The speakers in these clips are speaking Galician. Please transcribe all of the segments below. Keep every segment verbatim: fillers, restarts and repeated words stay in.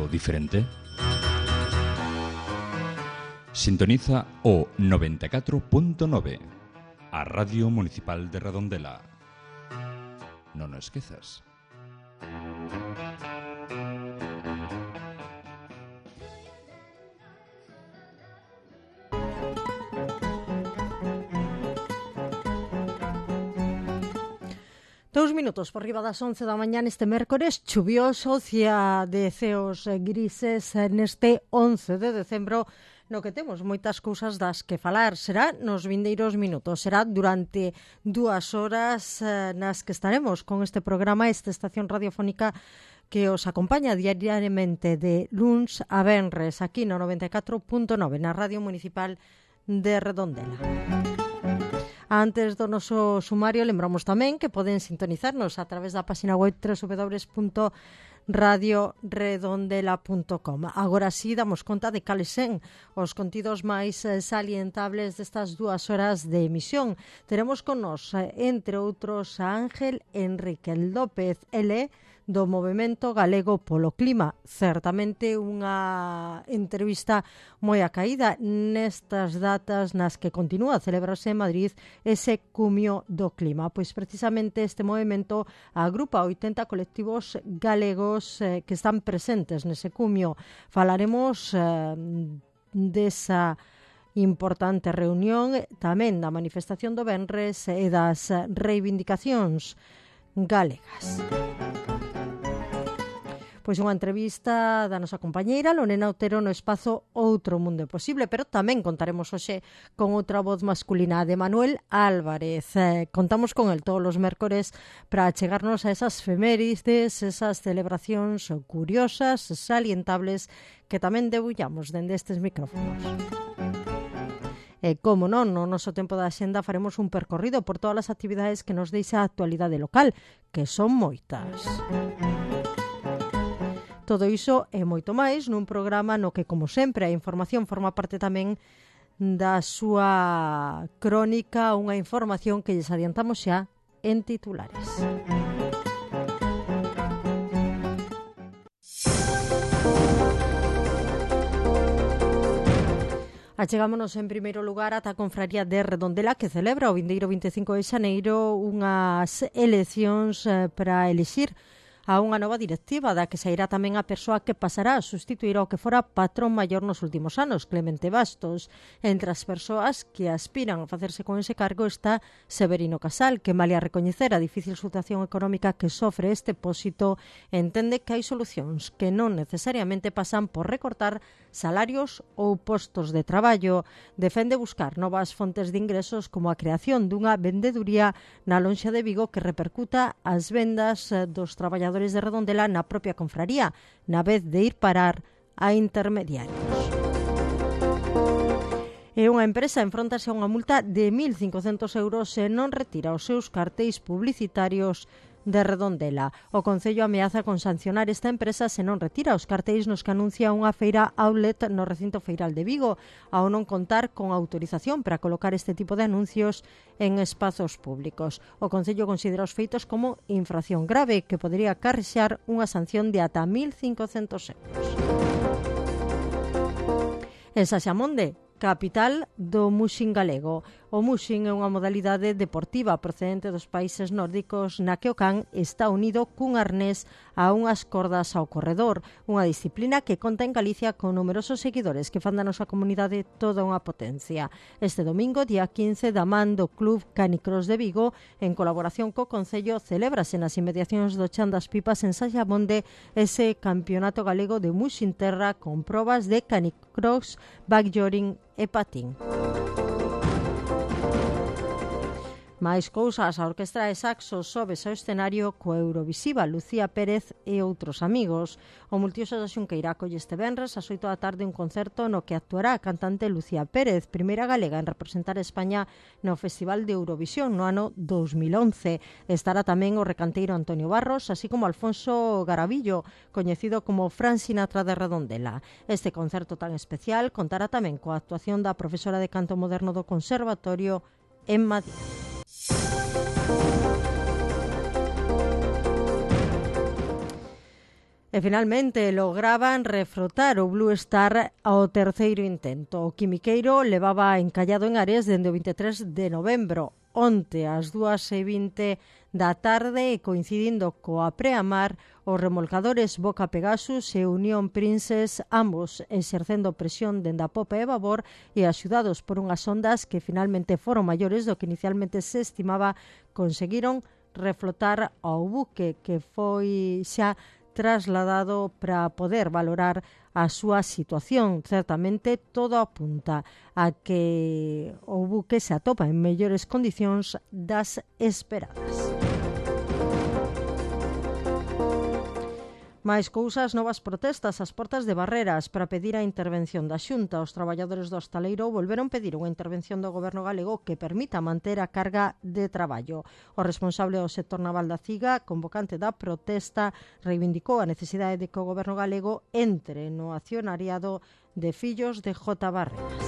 algo diferente? Sintoniza o noventa e catro punto nove, a Radio Municipal de Redondela. Non o esquezas. Dous minutos por riba das once da mañá neste mércores chuvioso, cia de ceos grises neste once de decembro, no que temos moitas cousas das que falar. Será nos vindeiros minutos, será durante dúas horas eh, nas que estaremos con este programa, esta estación radiofónica que os acompaña diariamente de luns a venres aquí no noventa e catro punto nove na Radio Municipal de Redondela. Antes do noso sumario, lembramos tamén que poden sintonizarnos a través da página web doble u doble u doble u punto radio redondela punto com. Agora sí damos conta de cales sen os contidos máis salientables destas dúas horas de emisión. Teremos con nos, entre outros, a Ángel Enrique López, ele do Movemento Galego polo Clima. Certamente unha entrevista moi acaída nestas datas nas que continúa a celebrarse en Madrid ese cumio do clima. Pois precisamente este movemento agrupa oitenta colectivos galegos eh, que están presentes nese cumio. Falaremos eh, desa importante reunión, tamén da manifestación do venres e das reivindicacións galegas. Pois unha entrevista da nosa compañeira Lorena Otero no espazo Outro Mundo Posible, pero tamén contaremos hoxe con outra voz masculina, de Manuel Álvarez. Eh, contamos con el todos os mércores para chegarnos a esas efemérides, esas celebracións curiosas, salientables, que tamén debullamos dende estes micrófonos. E, como non, no noso tempo da xenda faremos un percorrido por todas as actividades que nos deixa a actualidade local, que son moitas. Todo iso e moito máis nun programa no que, como sempre, a información forma parte tamén da súa crónica, unha información que lles adiantamos xa en titulares. Achegámonos en primeiro lugar ata a Confraría de Redondela, que celebra o vindeiro vinte e cinco de xaneiro unhas eleccións para elixir a unha nova directiva da que sairá tamén a persoa que pasará a sustituir ao que fora patrón maior nos últimos anos, Clemente Bastos. Entre as persoas que aspiran a facerse con ese cargo está Severino Casal, que, malia recoñecer a difícil situación económica que sofre este pósito, entende que hai solucións que non necesariamente pasan por recortar salarios ou postos de traballo. Defende buscar novas fontes de ingresos como a creación dunha vendeduría na lonxa de Vigo que repercuta as vendas dos traballadores de Redondela na propia confraría, na vez de ir parar a intermediarios. E unha empresa enfróntase a unha multa de mil cincocentos euros se non retira os seus cartéis publicitarios de Redondela. O Concello ameaza con sancionar esta empresa se non retira os cartéis nos que anuncia unha feira outlet no recinto feiral de Vigo, ao non contar con autorización para colocar este tipo de anuncios en espazos públicos. O Concello considera os feitos como infracción grave que podería acarrexar unha sanción de ata mil cincocentos euros. En Saxamonde, capital do muxing galego. O muxing é unha modalidade deportiva procedente dos países nórdicos na que o can está unido cun arnés a unhas cordas ao corredor, unha disciplina que conta en Galicia con numerosos seguidores que fan da nosa comunidade toda unha potencia. Este domingo, día quince, da man do Club Canicross de Vigo, en colaboración co Concello, celébrase nas inmediacións do Chan das Pipas en Saxamonde ese campeonato galego de muxing terra con probas de canicross, backjoring e patín. Máis cousas, a Orquestra de Saxo sobes ao escenario co Eurovisiva Lucía Pérez e outros amigos. O Multiuso da Xunqueira acolle este venres ás oito da tarde un concerto no que actuará a cantante Lucía Pérez, primeira galega en representar a España no Festival de Eurovisión no ano dos mil once. Estará tamén o recanteiro Antonio Barros, así como Alfonso Garavillo, coñecido como Fran Sinatra de Redondela. Este concerto tan especial contará tamén coa actuación da profesora de canto moderno do Conservatorio en Madrid. E finalmente lograban refrotar o Blue Star ao terceiro intento. O quimiqueiro levaba encallado en Ares dende o vinte e tres de novembro. Onte, ás dúas e vinte da tarde, coincidindo coa preamar, os remolcadores Boca Pegasus e Unión Princess, ambos exercendo presión dende a popa e babor e axudados por unhas ondas que finalmente foron maiores do que inicialmente se estimaba, conseguiron reflotar ao buque, que foi xa trasladado para poder valorar a súa situación. Certamente todo apunta a que o buque se atopa en mellores condicións das esperadas. Mais cousas, novas protestas ás portas de Barreras para pedir a intervención da Xunta. Os traballadores do hostaleiro volveron pedir unha intervención do goberno galego que permita manter a carga de traballo. O responsable do sector naval da Ciga, convocante da protesta, reivindicou a necesidade de que o goberno galego entre no accionariado de fillos de J. Barreras.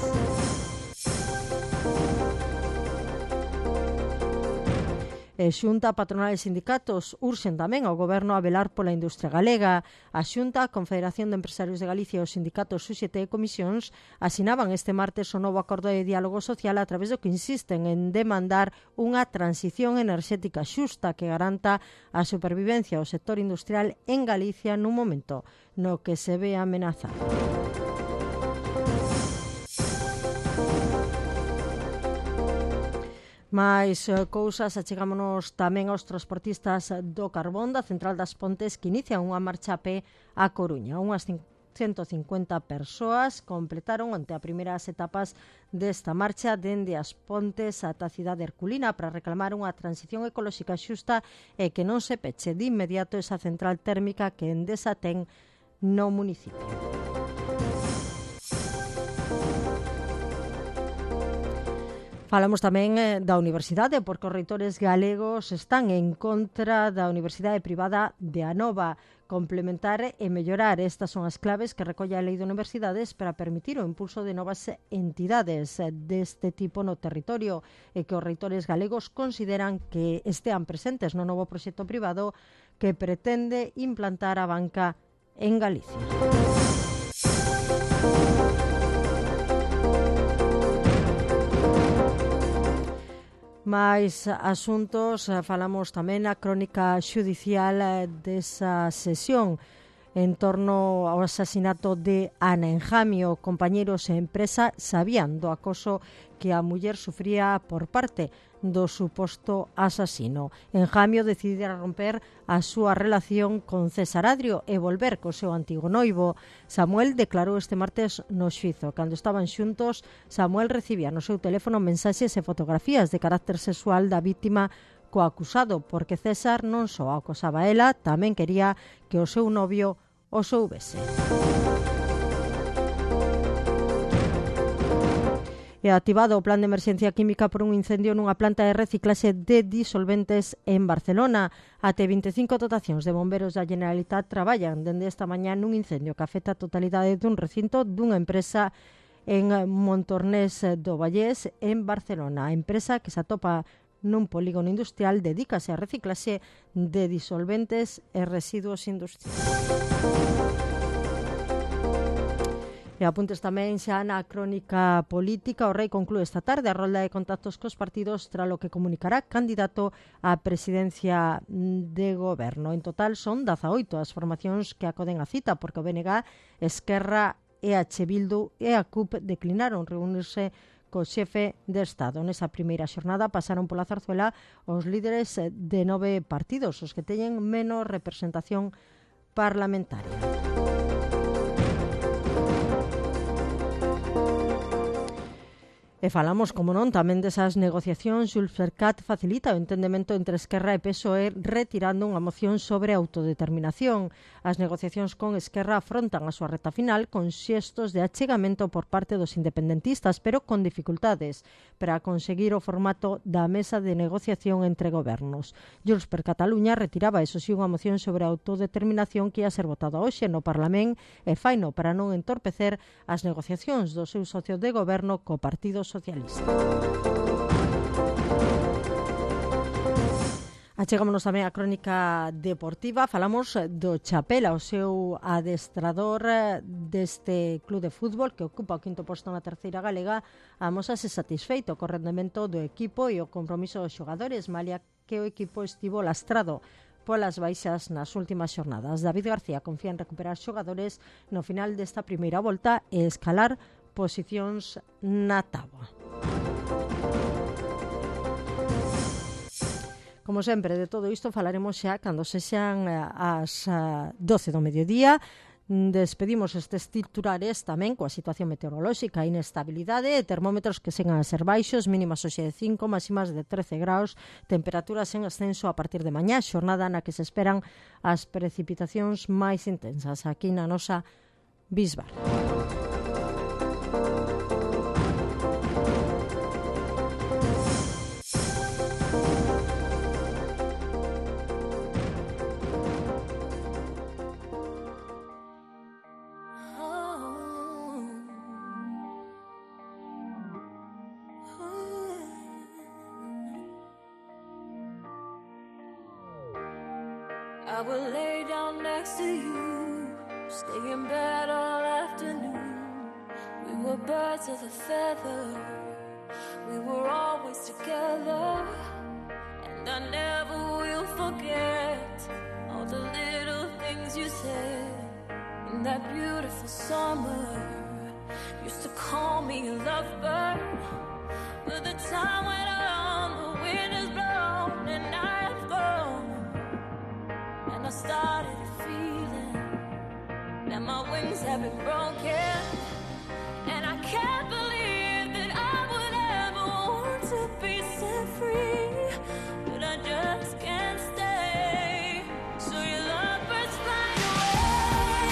E Xunta, patronal e sindicatos urxen tamén ao goberno a velar pola industria galega. A Xunta, a Confederación de Empresarios de Galicia e os sindicatos U X T e Comisións asinaban este martes o novo acordo de diálogo social a través do que insisten en demandar unha transición enerxética xusta que garanta a supervivencia do sector industrial en Galicia nun momento no que se ve amenazado. Mais cousas, achegámonos tamén aos transportistas do carbón da Central das Pontes, que inician unha marcha a pé a Coruña. Unhas ciento cincuenta persoas completaron onte as primeiras etapas desta marcha dende as Pontes ata a cidade herculina para reclamar unha transición ecolóxica xusta e que non se peche de inmediato esa central térmica que Endesa ten no municipio. Falamos tamén da universidade, porque os reitores galegos están en contra da universidade privada de Anova. Complementar e mellorar, estas son as claves que recolle a Lei de Universidades para permitir o impulso de novas entidades deste tipo no territorio e que os reitores galegos consideran que estean presentes no novo proxecto privado que pretende implantar a banca en Galicia. Mais asuntos, falamos tamén a crónica xudicial desa sesión en torno ao asasinato de Ana Enjamio. Compañeiros e empresa sabían do acoso que a muller sufría por parte do suposto asasino. Enjamio decidira romper a súa relación con César Adrio e volver co seu antigo noivo. Samuel declarou este martes no xuízo. Cando estaban xuntos, Samuel recibía no seu teléfono mensaxes e fotografías de carácter sexual da vítima co acusado, porque César non só acosaba a ela, tamén quería que o seu novio o soubese. E activado o plan de emerxencia química por un incendio nunha planta de reciclaxe de disolventes en Barcelona. Até vinte e cinco dotacións de bomberos da Generalitat traballan dende esta mañá nun incendio que afecta a totalidade dun recinto dunha empresa en Montornés do Vallés, en Barcelona. A empresa, que se atopa nun polígono industrial, dedícase a reciclaxe de disolventes e residuos industriais. E apuntes tamén xa na crónica política. O Rei conclúe esta tarde a rolda de contactos cos partidos tralo que comunicará candidato á presidencia de goberno. En total son dezaoito as formacións que acoden a cita, porque o B N G, Esquerra, E H Bildu e a C U P declinaron reunirse co xefe de Estado. Nesa primeira xornada pasaron pola Zarzuela os líderes de nove partidos, os que teñen menos representación parlamentaria. E falamos, como non, tamén desas negociacións. Xuls Fercat facilita o entendemento entre Esquerra e P S O E retirando unha moción sobre autodeterminación. As negociacións con Esquerra afrontan a súa reta final con xestos de achegamento por parte dos independentistas, pero con dificultades para conseguir o formato da mesa de negociación entre gobernos. Xuls per Cataluña retiraba, eso sí, unha moción sobre autodeterminación que ia ser votada hoxe no Parlamento e faino para non entorpecer as negociacións do seu socio de goberno co Partido Socialista. Achegámonos tamén a crónica deportiva. Falamos do Chapela, o seu adestrador deste club de fútbol que ocupa o quinto posto na terceira galega, amosase satisfeito co rendemento do equipo e o compromiso dos xogadores, malia que o equipo estivo lastrado polas baixas nas últimas xornadas. David García confía en recuperar xogadores no final desta primeira volta e escalar posicións na táboa. Como sempre, de todo isto falaremos xa cando sexan as doce do mediodía. Despedimos estes titulares tamén coa situación meteorolóxica, inestabilidade e termómetros que segan a ser baixos, mínimas hoxe de cinco, máximas de trece graus, temperaturas en ascenso a partir de mañá, xornada na que se esperan as precipitacións máis intensas aquí na nosa Bisbar. I will lay down next to you, stay in bed all afternoon. We were birds of a feather, we were always together. And I never will forget all the little things you said in that beautiful summer. Used to call me a lovebird, but the time went on, the wind has blown and I have gone. I started feeling that my wings have been broken, and I can't believe that I would ever want to be set free, but I just can't stay. So your lovebirds flying away,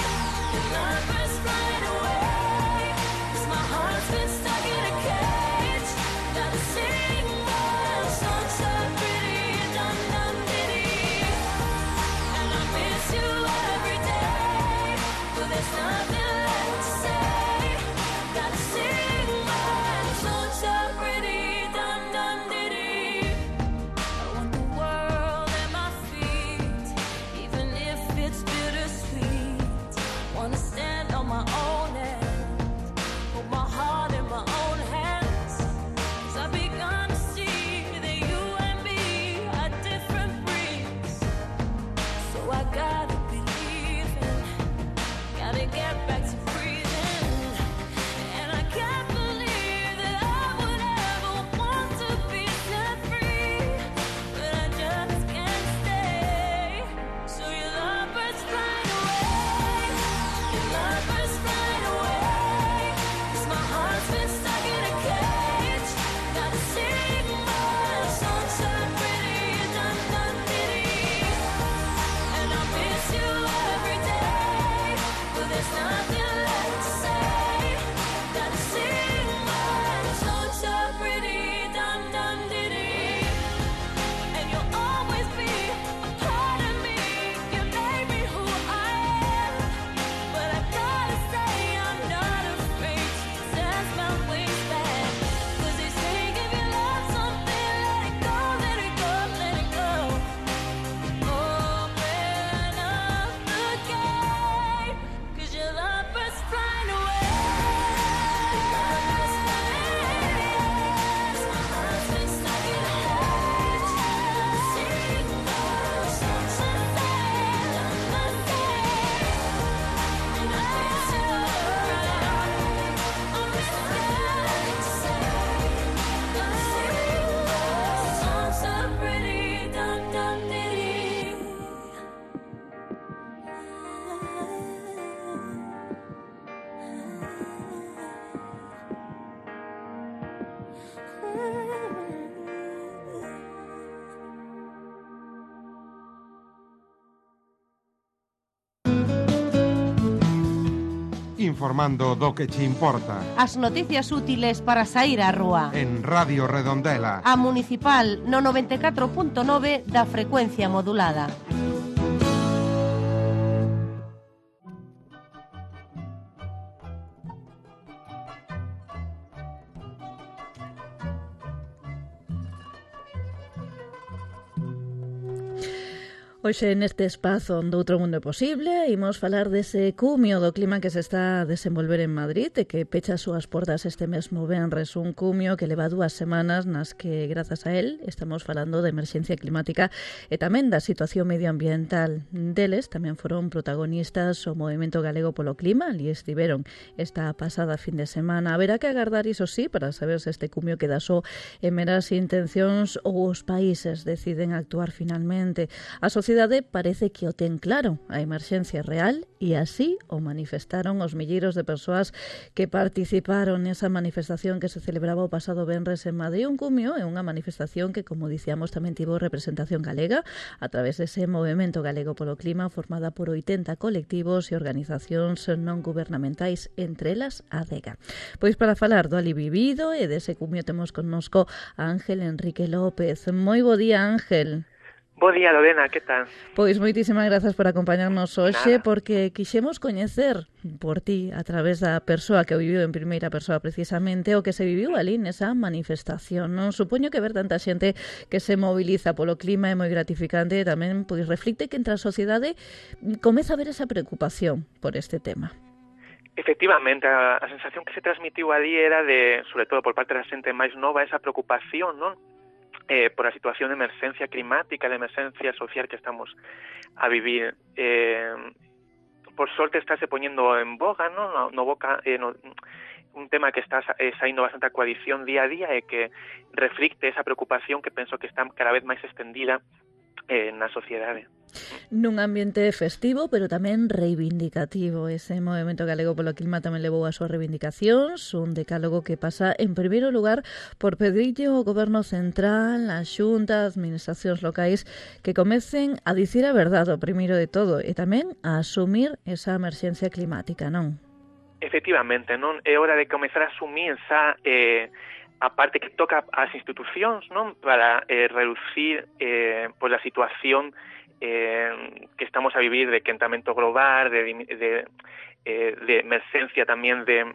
your lovebirds flying away, 'cause my heart's been stuck in a cage. Gotta sing my song so pretty, dum dum ditty. You every day, but there's nothing left to say. Gotta sing my song so pretty, dum dum ditty. I want the world at my feet, even if it's bittersweet. Wanna stand on my own end, hold my heart in my own hands. 'Cause I've begun to see that you and me are different breeds. So I got get back to breathing, and I can't believe that I would ever want to be set free, but I just can't stay. So your lovebirds flying away, your lovebirds flying away, 'cause my heart's been stuck in a cage. Gotta sing my song so pretty, dum dum ditty, and I miss you every day. There's nothing left to say. Gotta sing my song so pretty, dum dum ditty. And you'll always be a part of me. You made me who I am. But I gotta say I'm not afraid to test my wings back. 'Cause they say if you love something, let it go, let it go, let it go. Open up the gate, 'cause your love flying away. My heart's been stuck in a cage. Sing my song so sad, my day. And I miss you around. I'm scared to say. Gonna sing my song so pretty, dum dum ditty. Informando do que che importa. As noticias útiles para sair á rúa. En Radio Redondela. A Municipal no noventa e catro punto nove da frecuencia modulada. Hoxe neste espazo do Outro Mundo Posible imos falar dese cumio do clima que se está a desenvolver en Madrid e que pecha as súas portas este mesmo venres, un cumio que leva dúas semanas nas que, grazas a él, estamos falando de emerxencia climática e tamén da situación medioambiental. Deles tamén foron protagonistas o Movemento Galego polo Clima, ali estiveron esta pasada fin de semana. Haberá que agardar, iso sí, para saber se este cumio queda só en meras intencións ou os países deciden actuar finalmente. A sociedade parece que o ten claro, a emerxencia real, e así o manifestaron os milleiros de persoas que participaron nesa manifestación que se celebraba o pasado venres en Madrid. Un cumio é unha manifestación que, como dicíamos, tamén tivo representación galega a través dese Movemento Galego polo Clima formada por oitenta colectivos e organizacións non gubernamentais, entre elas a Adega. Pois para falar do ali vivido e dese cumio temos connosco a Ángel Enrique López. Moi bo día, Ángel. Bo día, Lorena, que tal? Pois moitísimas grazas por acompañarnos hoxe, Nada. porque quixemos coñecer por ti, a través da persoa que o viviu en primeira persoa precisamente, o que se viviu ali nesa manifestación. Non supoño que ver tanta xente que se moviliza polo clima é moi gratificante e tamén pois reflicte que entre a sociedade comeza a haber esa preocupación por este tema. Efectivamente, a, a sensación que se transmitiu ali era de, sobre todo por parte da xente máis nova, esa preocupación, non? Eh, por a situación de emerxencia climática, de emerxencia social que estamos a vivir. Eh, por sorte estáse poñendo en boga, ¿no? No, no boca, eh, no, un tema que está eh, saindo bastante a coalición día a día e que reflicte esa preocupación que penso que está cada vez máis extendida eh, na sociedade. Nun ambiente festivo, pero tamén reivindicativo. Ese Movemento Galego polo Clima tamén levou as súas reivindicacións, un decálogo que pasa, en primeiro lugar, por pedirlle ao Goberno Central, a Xunta, as administracións locais, que comecen a dicir a verdade, o primeiro de todo, e tamén a asumir esa emerxencia climática, non? Efectivamente, non? É hora de comezar a asumir esa... Eh, a parte que toca ás institucións, non? Para eh, reducir eh, pois a situación eh, que estamos a vivir de quentamento global, de, de, eh, de emerxencia tamén de...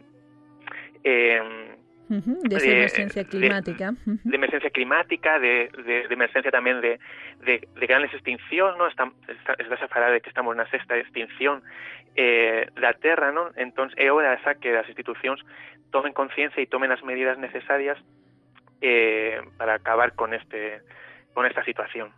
Eh, Uh-huh, de esa emerxencia climática. De, de emerxencia climática, de, de, de emerxencia tamén de, de, de grandes extincións, non? Está, está, está a falar de que estamos na sexta extinción eh, da Terra, non? Entón, é hora esa que as institucións tomen conciencia e tomen as medidas necesarias eh, para acabar con este... con esta situación.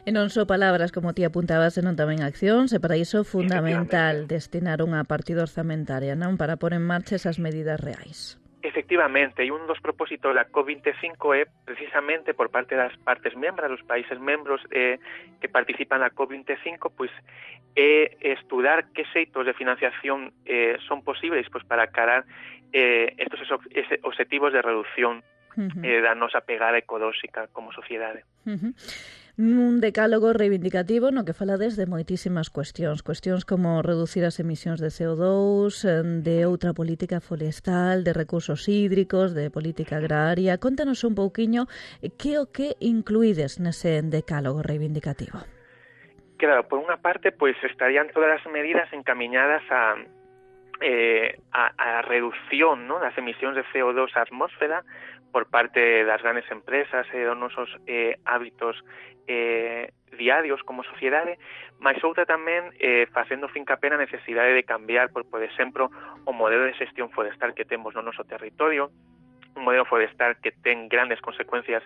E non só palabras, como ti apuntabas, senón tamén accións, e para iso fundamental destinar unha partida orzamentaria, non? Para pôr en marcha esas medidas reais. Efectivamente, e un dos propósitos da COP veinticinco é precisamente por parte das partes membras, dos países membros eh, que participan na COP veinticinco, pois é estudar que xeitos de financiación eh, son posibles pois para carar eh, estos objetivos de reducción uh-huh. eh, da nosa pegada ecolóxica como sociedade. Uh-huh. Un decálogo reivindicativo no que falades de moitísimas cuestións, cuestións como reducir as emisións de C O dos, de outra política forestal, de recursos hídricos, de política agraria. Contanos un pouquiño que o que incluídes nese decálogo reivindicativo. Claro, por unha parte, pois estarían todas as medidas encamiñadas a eh, a, a reducción, ¿no?, das emisións de C O dos á atmósfera por parte das grandes empresas e dos nosos eh, hábitos eh, diarios como sociedade, mas outra tamén eh, facendo fincapé na necesidade de cambiar, por, por exemplo, o modelo de xestión forestal que temos no noso territorio, un modelo forestal que ten grandes consecuencias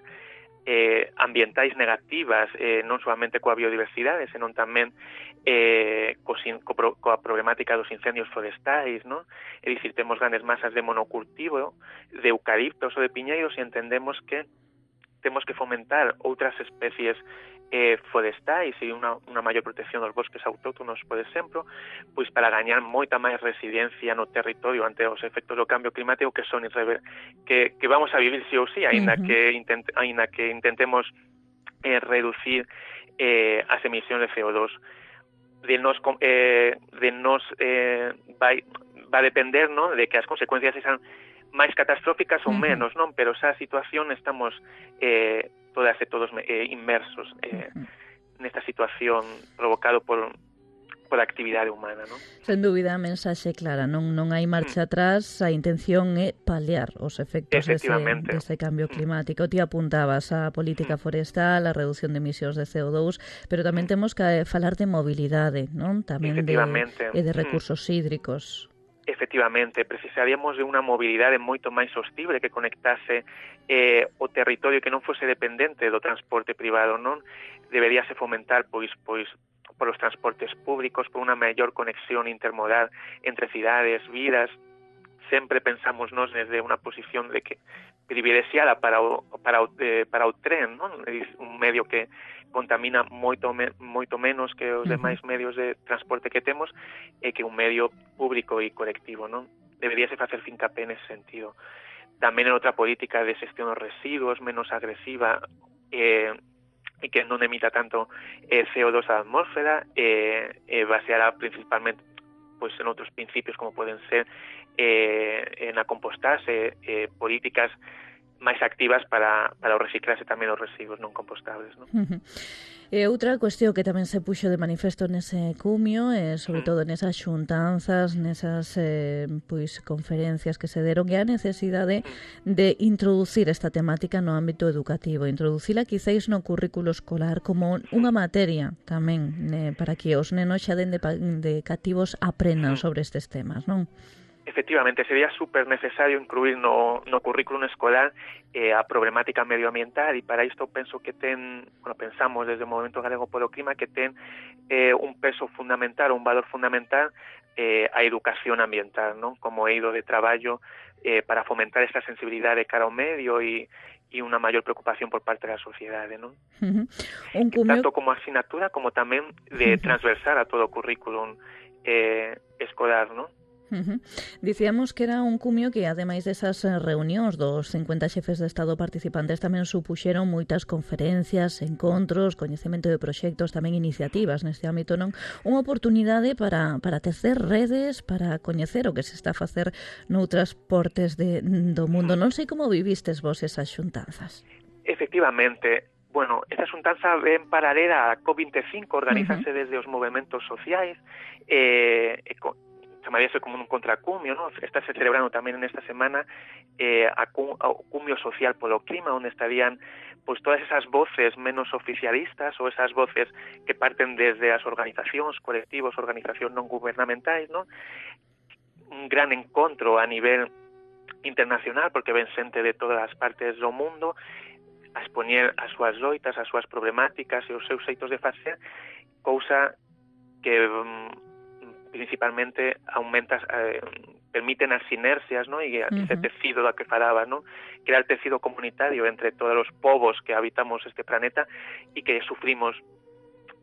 eh, ambientais negativas, eh, non solamente coa biodiversidade, senón tamén eh, co, co, coa problemática dos incendios forestais, non? É dicir, temos grandes masas de monocultivo, de eucaliptos ou de piñeiros, e entendemos que temos que fomentar outras especies eh, forestais e unha, unha maior protección dos bosques autóctonos, por exemplo, pois para gañar moita máis resiliencia no territorio ante os efectos do cambio climático que son irrever que, que vamos a vivir sí ou sí, aínda uh-huh. que, intent, aínda que intentemos eh, reducir eh, as emisións de C O dos. De nos, eh, de nos eh, vai, va a depender, ¿no?, de que as consecuencias sean máis catastróficas ou uh-huh. menos, non? Pero esa situación estamos eh, todas e todos eh, inmersos eh, uh-huh. nesta situación provocado por pola actividade humana, non? Sen dúbida, a mensaxe clara, non non hai marcha atrás, a intención é paliar os efectos dese, dese cambio climático. Ti apuntabas a política forestal, a reducción de emisións de C O dos, pero tamén temos que falar de mobilidade, non? Tamén de, e de recursos hídricos. Efectivamente, precisaríamos de unha mobilidade moito máis sostible que conectase eh, o territorio que non fose dependente do transporte privado, non? Deberíase fomentar, pois, pois, por os transportes públicos, por unha maior conexión intermodal entre cidades, vidas. Sempre pensamos nos desde unha posición de que privilexiada para o, para o, eh, para o tren, non? Un medio que contamina moito me, moito menos que os demais medios de transporte que temos e que un medio público e colectivo, non? Deberíase facer fincapé nese sentido. Tamén en outra política de xestión dos residuos menos agresiva eh, e que non emita tanto eh, C O dos á atmósfera, eh, eh, baseada principalmente pois en outros principios como poden ser eh, en a compostarse, eh, políticas máis activas para, para o reciclarse tamén os residuos non compostables, non? Uh-huh. E outra cuestión que tamén se puxo de manifesto nese cumio, e sobre todo nesas xuntanzas, nesas eh, pois conferencias que se deron, é a necesidade de introducir esta temática no ámbito educativo, introducila quizáis no currículo escolar como unha materia tamén eh, para que os nenos xa den de, de cativos aprendan sobre estes temas, non? Efectivamente, sería super necesario incluir no, no currículum escolar eh, a problemática medioambiental e para isto penso que ten, bueno, pensamos desde o Movemento Galego polo Clima que ten eh, un peso fundamental, un valor fundamental eh, a educación ambiental, non? Como eido de traballo eh, para fomentar esta sensibilidade cara ao medio e e unha maior preocupación por parte da sociedade, non? Uh-huh. Un cumio... Tanto como asignatura como tamén de transversar a todo o currículum eh, escolar, non? Uh-huh. Dicíamos que era un cumio que, ademais desas reunións dos cincuenta xefes de Estado participantes, tamén supuxeron moitas conferencias, encontros, coñecemento de proxectos, tamén iniciativas neste ámbito, non? Unha oportunidade para, para tecer redes, para coñecer o que se está a facer noutras portes de, do mundo. Non sei como vivistes vos esas xuntanzas. Efectivamente. Bueno, esta xuntanza ven paralela a COP veinticinco, organízase uh-huh. desde os movementos sociais, eh, e con chamaríase como un contracumio, ¿no? Está se celebrando tamén en esta semana eh, a, a cumio social polo clima, onde estarían pues todas esas voces menos oficialistas ou esas voces que parten desde as organizacións, colectivos, organizacións non gubernamentais, ¿no? Un gran encontro a nivel internacional, porque ven xente de todas as partes do mundo a expoñer as súas loitas, as súas problemáticas e os seus xeitos de facer, cousa que principalmente aumenta, eh, permiten as sinerxias, ¿no? E uh-huh. ese tecido da que falaba, ¿no? Crear tecido comunitario entre todos os povos que habitamos este planeta e que sufrimos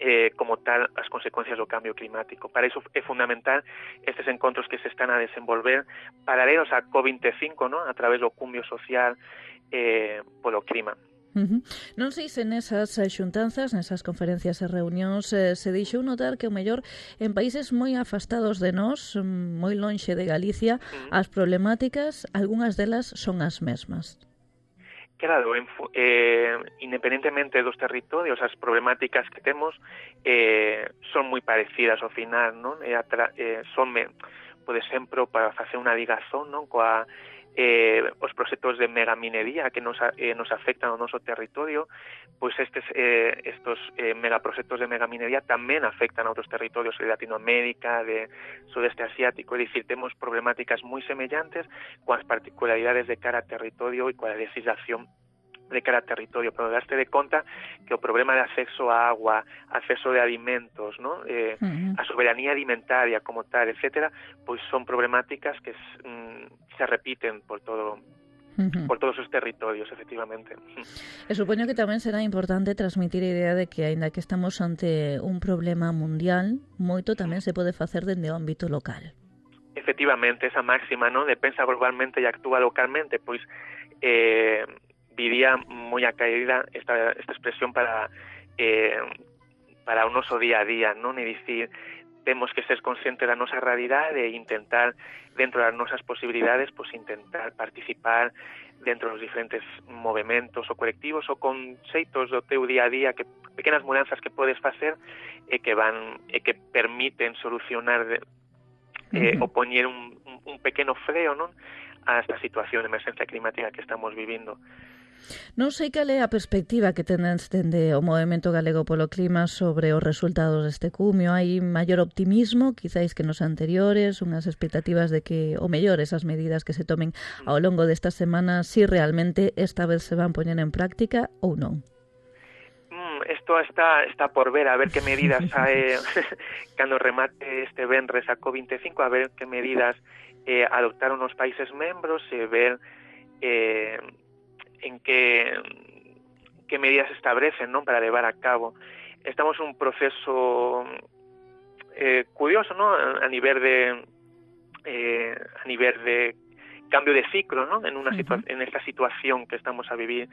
eh, como tal as consecuencias do cambio climático. Para iso é fundamental estes encontros que se están a desenvolver paralelos a COP veinticinco, ¿no? A través do cumio social eh, polo clima. Uh-huh. Non sei se nesas xuntanzas, nesas conferencias e reunións eh, se deixou notar que o mellor en países moi afastados de nós, moi lonxe de Galicia, uh-huh. as problemáticas, algunhas delas son as mesmas. Claro, en, eh, independentemente dos territorios, as problemáticas que temos eh, son moi parecidas ao final, non? E atra, eh, son, por exemplo, para facer unha ligazón, non? Coa Eh, os proxectos de megaminería que nos, eh, nos afectan ao noso territorio, pois estes eh, estos eh, megaproxectos de megaminería tamén afectan a outros territorios de Latinoamérica, de Sudeste Asiático, é dicir, temos problemáticas moi semellantes coas particularidades de cara a territorio e coa legislación de cara a territorio, pero daste de conta que o problema de acceso a agua, acceso de alimentos, ¿no? eh, uh-huh. a soberanía alimentaria como tal, etcétera, pois son problemáticas que mm, se repiten por todo uh-huh. por todos os territorios, efectivamente. E supoño que tamén será importante transmitir a idea de que, aínda que estamos ante un problema mundial, moito tamén se pode facer dende o ámbito local. Efectivamente, esa máxima, ¿no? De pensa globalmente e actúa localmente, pois eh, vivía moi a caída esta, esta expresión para eh, para o noso día a día, non? E dicir, temos que ser conscientes da nosa realidade e intentar, dentro das nosas posibilidades, pues intentar participar dentro dos diferentes movimentos ou colectivos ou conxeitos do teu día a día que pequenas mudanzas que podes facer e que van e que permiten solucionar eh, uh-huh. o poñer un, un pequeno freo, non, a esta situación de emergencia climática que estamos vivindo. Non sei cal é a perspectiva que tendes dende o Movemento Galego polo Clima sobre os resultados deste cumio. Hai maior optimismo, quizáis que nos anteriores, unhas expectativas de que, o mellor, esas medidas que se tomen ao longo destas semanas, si realmente esta vez se van poñer en práctica ou non? Isto está está por ver, a ver que medidas sae cando remate este venres a COP veinticinco, a ver que medidas eh, adoptaron os países membros e ver eh, en que que medidas se establecen, non, para levar a cabo. Estamos en un proceso eh, curioso, non, a nivel de eh, a nivel de cambio de ciclo, non, en una situa- uh-huh. en esta situación que estamos a vivir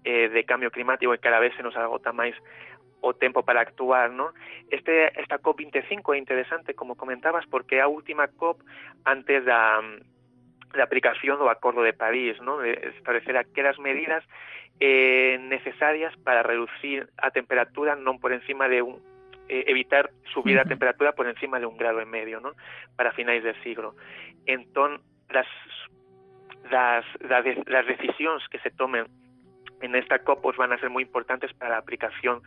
eh, de cambio climático e cada vez se nos agota máis o tempo para actuar, non? Este esta COP veinticinco é interesante, como comentabas, porque é a última COP antes da da aplicación do Acordo de París, non? De establecer aquelas medidas eh, necesarias para reducir a temperatura non por encima de un eh, evitar subir uh-huh. a temperatura por encima de un grado e medio, non? Para finais de siglo. Entón, las las las, de, las decisións que se tomen en esta COP pues, van a ser moi importantes para a aplicación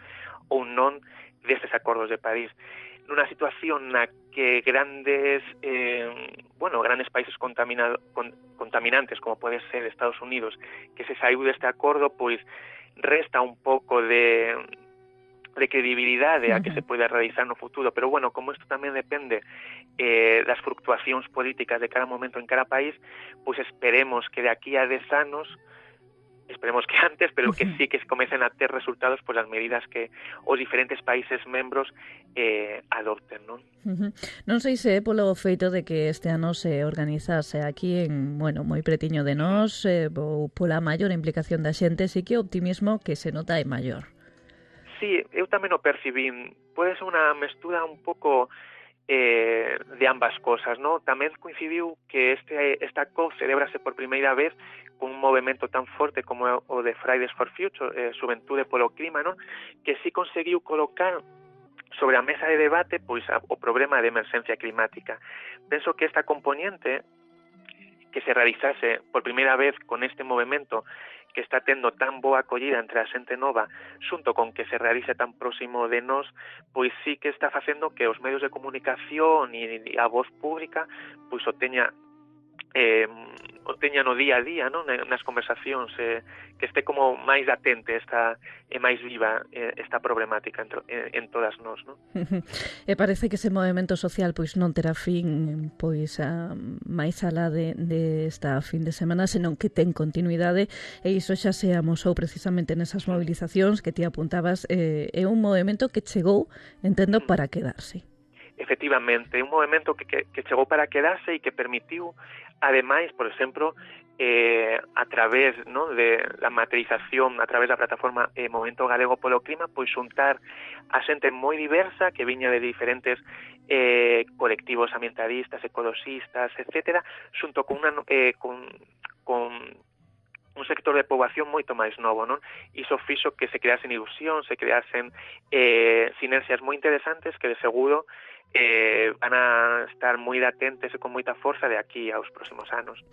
ou non destes acordos de París. Nunha situación na que grandes eh, bueno, grandes países contaminado, con, contaminantes como pode ser Estados Unidos, que se saiu deste acordo, pois resta un pouco de de credibilidade a que se pode realizar no futuro, pero bueno, como isto tamén depende eh, das fluctuacións políticas de cada momento en cada país, pois esperemos que de aquí a dez anos, esperemos que antes, pero que sí que comecen a ter resultados por as medidas que os diferentes países membros eh, adopten, non? Uh-huh. Non sei se é polo feito de que este ano se organizase aquí en, bueno, moi pretiño de nós, eh, ou pola maior implicación da xente, sí que o optimismo que se nota é maior. Sí, eu tamén o percibín. Pode ser unha mestura un pouco eh, de ambas cosas, ¿no? Tamén coincidiu que este esta COP celebrase por primeira vez con un movimento tan forte como o de Fridays for Future, eh, Xuventude polo Clima, ¿no? Que sí conseguiu colocar sobre a mesa de debate pois a, o problema de emerxencia climática. Penso que esta componente que se realizase por primeira vez con este movimento que está tendo tan boa acollida entre a xente nova, xunto con que se realice tan próximo de nós, pois sí que está facendo que os medios de comunicación e a voz pública pois o teña eh, o teña no día a día, non? Nas conversacións, eh, que este como máis atente esta, e máis viva eh, esta problemática en, en, en todas nós, non? E parece que ese movimento social pois non terá fin pois a, máis alá de, de esta fin de semana, senón que ten continuidade, e iso xa se amosou precisamente nesas movilizacións que ti apuntabas, eh, é un movimento que chegou, entendo, para quedarse. Efectivamente, é un movimento que, que, que chegou para quedarse e que permitiu, ademais, por exemplo, eh, a través, ¿no?, de la materialización, a través da plataforma eh, Movimento Galego polo Clima, pois xuntar a xente moi diversa que viña de diferentes eh, colectivos ambientalistas, ecologistas, etcétera, xunto con, una, eh, con, con un sector de poboación moito máis novo, non? Iso fixo que se creasen ilusión, se creasen eh, sinerxias moi interesantes que de seguro eh, van a estar moi latentes e con moita forza de aquí aos próximos anos.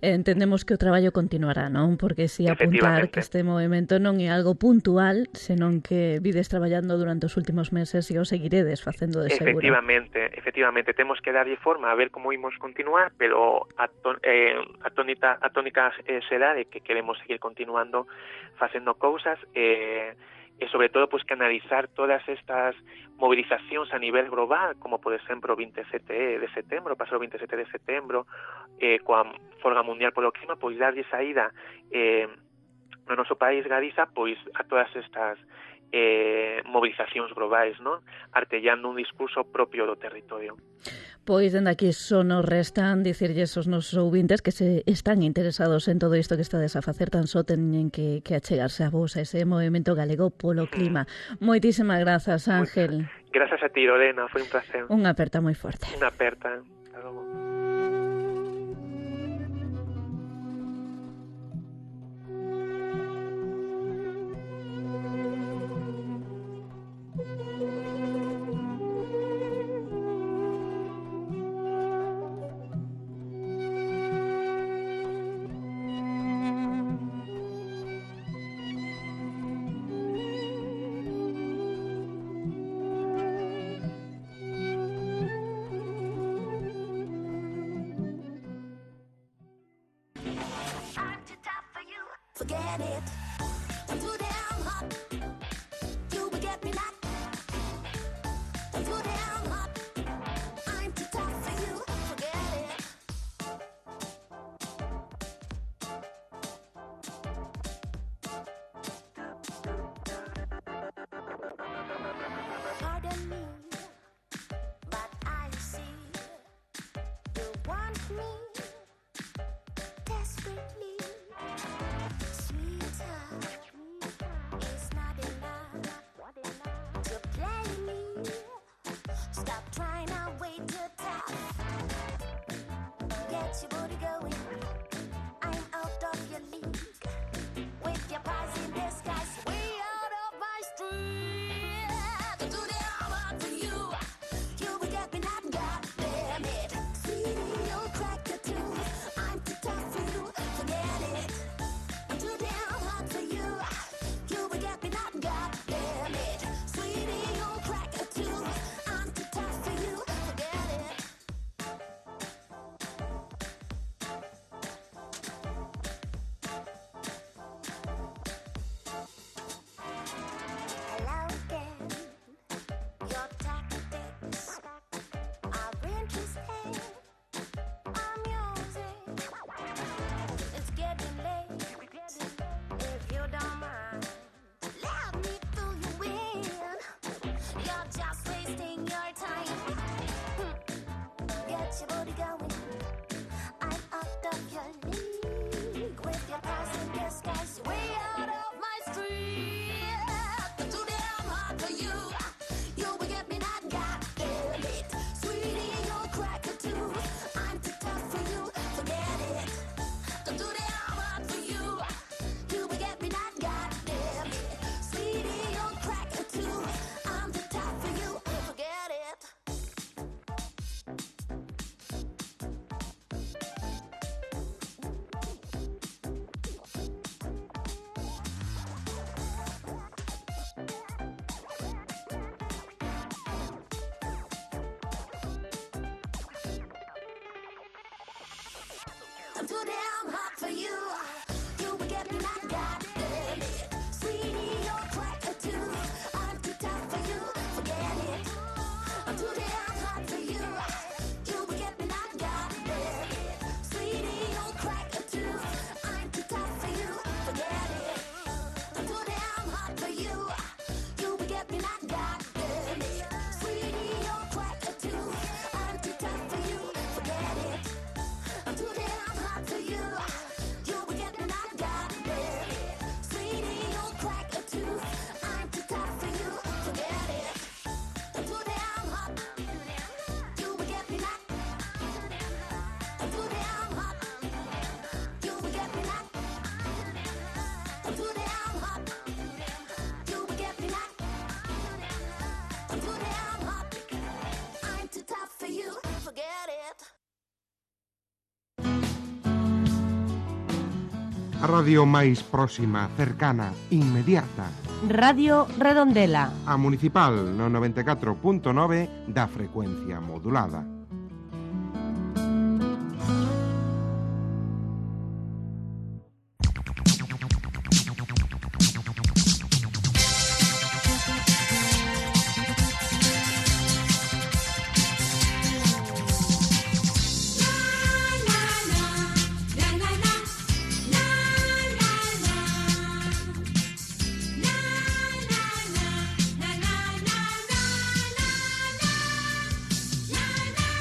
Entendemos que o traballo continuará, non? Porque si apuntar que este movimento non é algo puntual, senón que vides traballando durante os últimos meses e o seguiredes facendo de seguro. Efectivamente, efectivamente, temos que darlle forma a ver como imos continuar, pero a, ton, eh, a tónica, a tónica eh, será de que queremos seguir continuando facendo cousas e, e sobre todo pues, canalizar todas estas movilizacións a nivel global, como por exemplo o veintisiete de setembro, pasou o veintisiete de setembro, eh, coa Folga Mundial polo Clima, pois darlle saída eh, no noso país Galiza pois a todas estas eh, movilizacións globais, non? Artellando un discurso propio do territorio. Pois, dende aquí só nos restan dicirlles aos nosos ouvintes que se están interesados en todo isto que estades a facer, tan só teñen que, que achegarse a vos, a ese Movimento Galego polo Clima. Mm. Moitísimas grazas, Ángel. Grazas a ti, Lorena, foi un placer. Unha aperta moi forte. Unha aperta. Hasta logo. forget it. I'm too damn hot. You will get me not. I'm too damn hot. I'm too tough for you. Forget it. Pardon me, but I see you want me desperately. Sweetheart, it's not enough to play me. Stop trying to wait to top. Get your booty going. I'm out of your league. With your pies in disguise, way out of my street. To do the hard for you. You will get me not, goddamn it. Sweetie, you'll crack the tooth. I'm too tough for you. Forget it. I'm too damn hot for you. You will get me not, goddamn it. Sweetie, you'll crack a tooth. I'm too tough for you. Forget it. Hello again. Your tactics are interesting. I'm using. It's getting late. If you don't mind, let me fill you in. You're just wasting your time. Hmm. Get your booty going. I'm out of your league. With your passing disguise, way out of my street. Too damn hard for you. You will get me not, goddamn it. Sweetie, you'll crack a tooth. I'm too tough for you. Forget it. Too damn hard for you. You will get me not, goddamn it. Sweetie, you'll crack a tooth. I'm too tough for you. Forget it. I'm too damn hot for you. You will get me not, goddamn it. Sweetie, you'll crack a tooth. I'm too tough for you. Forget it. I'm too damn hot for you. You will get me not, goddamn it. Sweetie, you'll crack a tooth. I'm too tough for you. Forget it. I'm too damn hot for you. You will get me not, goddamn it. Sweetie, you'll crack a tooth. I'm too tough for you. Forget it. I'm too damn hot for you. You will get me not, goddamn it. Sweetie, you'll crack a tooth. I'm too tough for you. Forget it. I'm too damn hot. You will get me not. I'm too damn hot. You will get me not. I'm too damn hot. You will get me not. I'm too damn hot. I'm too tough for you. Forget it. A radio máis próxima, cercana, inmediata. Radio Redondela. A Municipal no noventa e catro punto nove da frecuencia modulada. Na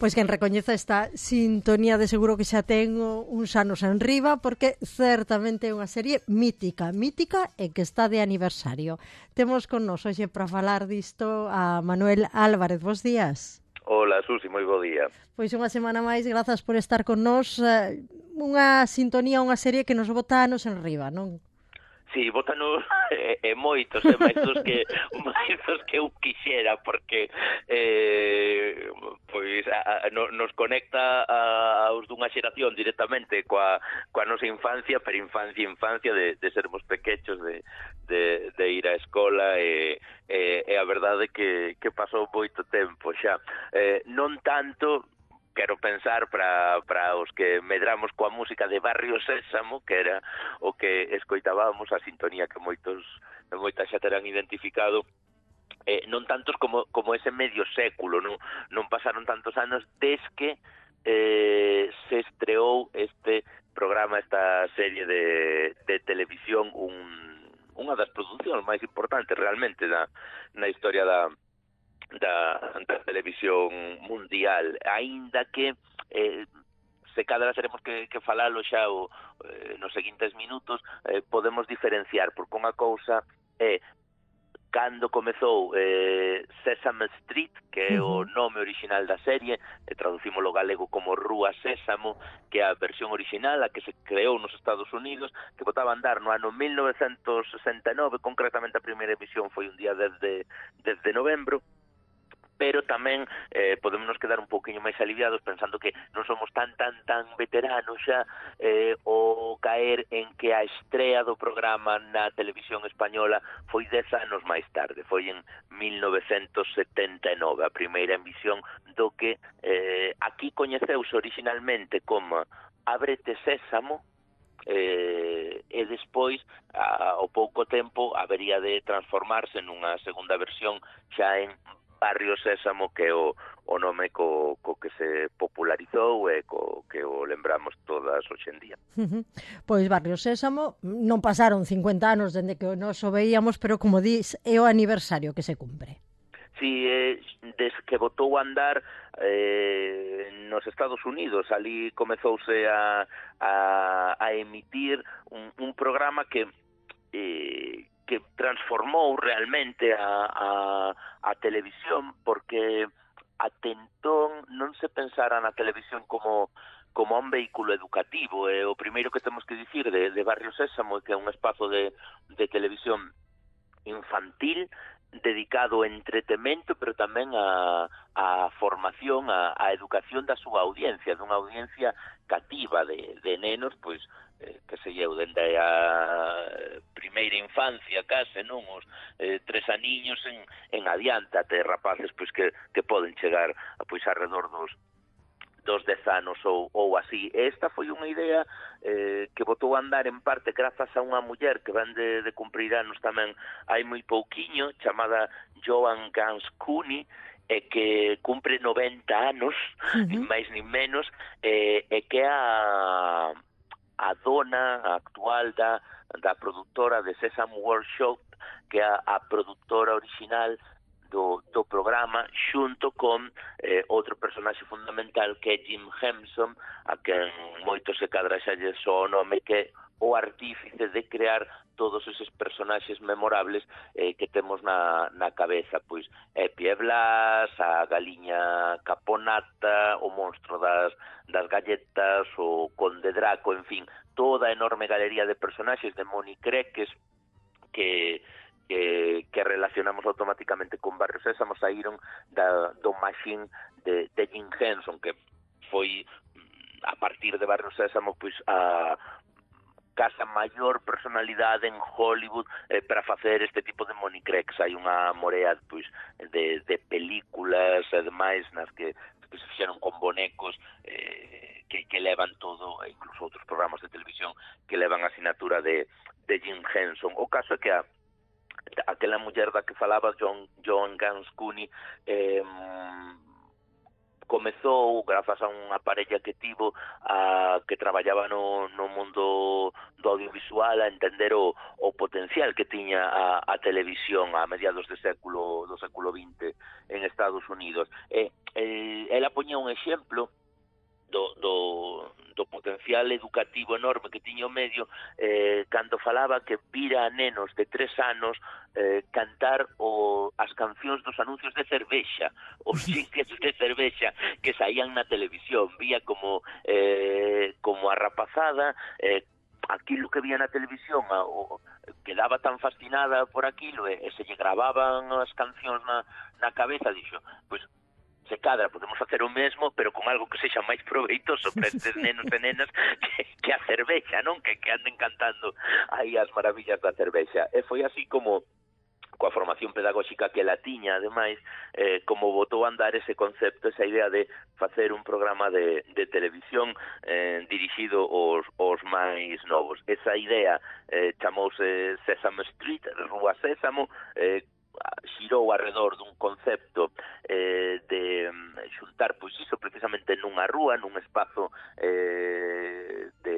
Pois quen recoñeza esta sintonía de seguro que xa ten uns anos en riba, porque certamente é unha serie mítica, mítica e que está de aniversario. Temos con nos hoxe para falar disto a Manuel Álvarez. Bos días. Hola, Susi, moi bo día. Pois unha semana máis, grazas por estar con nos. Unha sintonía, unha serie que nos bota anos en riba, non? Sí, botanos e, e moitos, e máis dos que máis dos que eu quixera, porque eh, pois a, a, no, nos conecta a, aos dunha xeración directamente coa, coa nosa infancia, pero infancia, infancia de, de sermos pequechos, de, de, de ir á escola, e, e, e a verdade que, que pasou moito tempo xa. Eh, non tanto... Quero pensar para, para os que medramos coa música de Barrio Sésamo, que era o que escoitábamos, a sintonía que moitos moitas xa terán identificado, eh, non tantos como, como ese medio século, non, non pasaron tantos anos desde que eh, se estreou este programa, esta serie de, de televisión, un, unha das producións máis importantes realmente na, na historia da Da, da televisión mundial, aínda que eh, se cadra teremos que, que falalo xa o, eh, nos seguintes minutos, eh, podemos diferenciar, porque unha cousa é cando comezou eh, Sesame Street, que é o nome original da serie, e traducimos lo galego como Rúa Sésamo, que é a versión original, a que se creou nos Estados Unidos, que botaba a andar no ano mil novecentos sesenta e nove, concretamente a primeira emisión foi un día desde, desde novembro, pero tamén eh, podemos nos quedar un pouquiño máis aliviados pensando que non somos tan, tan, tan veteranos xa eh, o caer en que a estrea do programa na televisión española foi dez anos máis tarde, foi en mil novecentos setenta e nove, a primeira emisión do que eh, aquí coñeceuse originalmente como Ábrete Sésamo, eh, e despois, a, ao pouco tempo, habería de transformarse nunha segunda versión xa en Barrio Sésamo, que é o, o nome co, co que se popularizou e co que o lembramos todas hoxe en día. Uh-huh. Pois Barrio Sésamo non pasaron cincuenta anos dende que nos o veíamos, pero como dis, é o aniversario que se cumpre. Sí, eh, desde que botou a andar eh, nos Estados Unidos, ali comezouse a, a, a emitir un, un programa que... Eh, que transformou realmente a, a, a televisión, porque até entón non se pensara na televisión como como un vehículo educativo. E o primeiro que temos que dicir de, de Barrio Sésamo, que é un espazo de, de televisión infantil, dedicado ao entretemento, pero tamén a, a formación, a, a educación da súa audiencia, dunha audiencia cativa de, de nenos, pois, eh, que se eu, dende a primeira infancia, case, non, os eh, tres aniños en, en adiante, até rapaces, pois, que, que poden chegar a, pois, alrededor dos dos dez anos ou, ou así. Esta foi unha idea eh, que botou a andar en parte grazas a unha muller que ven de, de cumprir anos tamén hai moi pouquiño, chamada Joan Ganz Cooney, e que cumpre noventa anos, uh-huh. nin máis nin menos, e, e que é a, a dona actual da, da produtora de Sesame World Show, que é a, a produtora original Do, do programa, xunto con eh, outro personaxe fundamental que é Jim Henson, a quen moito se cadra xa lle só o nome, que é o artífice de crear todos eses personaxes memorables eh, que temos na, na cabeza, pois Epi e Blas, a galiña Caponata, o monstro das, das galletas, o Conde Draco, en fin, toda a enorme galería de personaxes de Moni Creques que Que, que relacionamos automáticamente con Barrio Sésamo, saíron da, do machine de, de Jim Henson, que foi a partir de Barrio Sésamo pois a casa maior personalidade en Hollywood eh, para facer este tipo de monicrex. Hai unha morea pois de, de películas e demais nas que, que se fixeron con bonecos eh, que, que levan todo, e incluso outros programas de televisión que levan a asinatura de, de Jim Henson. O caso é que a aquela muller da que falaba, John, Joan Ganz Cooney, eh, comezou, grazas a unha parella que tivo, a, que traballaba no, no mundo do audiovisual, a entender o, o potencial que tiña a, a televisión a mediados de século, do século vinte en Estados Unidos. E eh, ela poñía un exemplo do, do, do potencial educativo enorme que tiña o medio eh, cando falaba que vira a nenos de tres anos eh, cantar o, as cancións dos anuncios de cervexa, os jingles de cervexa que saían na televisión. Vía como eh, como a rapazada eh, aquilo que vía na televisión a, o, quedaba tan fascinada por aquilo e, e se lle gravaban as cancións na, na cabeza, dixo, pois se cadra, podemos facer o mesmo, pero con algo que sexa máis proveitoso para estes nenos e nenas que, que a cervexa, non? Que, que anden cantando aí as maravillas da cervexa. E foi así como, coa formación pedagóxica que la tiña, ademais, eh, como botou a andar ese concepto, esa idea de facer un programa de, de televisión eh, dirixido aos, aos máis novos. Esa idea eh, chamouse Sesame Street, Rúa Sésamo, eh, xirou alrededor dun concepto eh, de xuntar, pois iso, precisamente nunha rúa, nun espazo eh, de,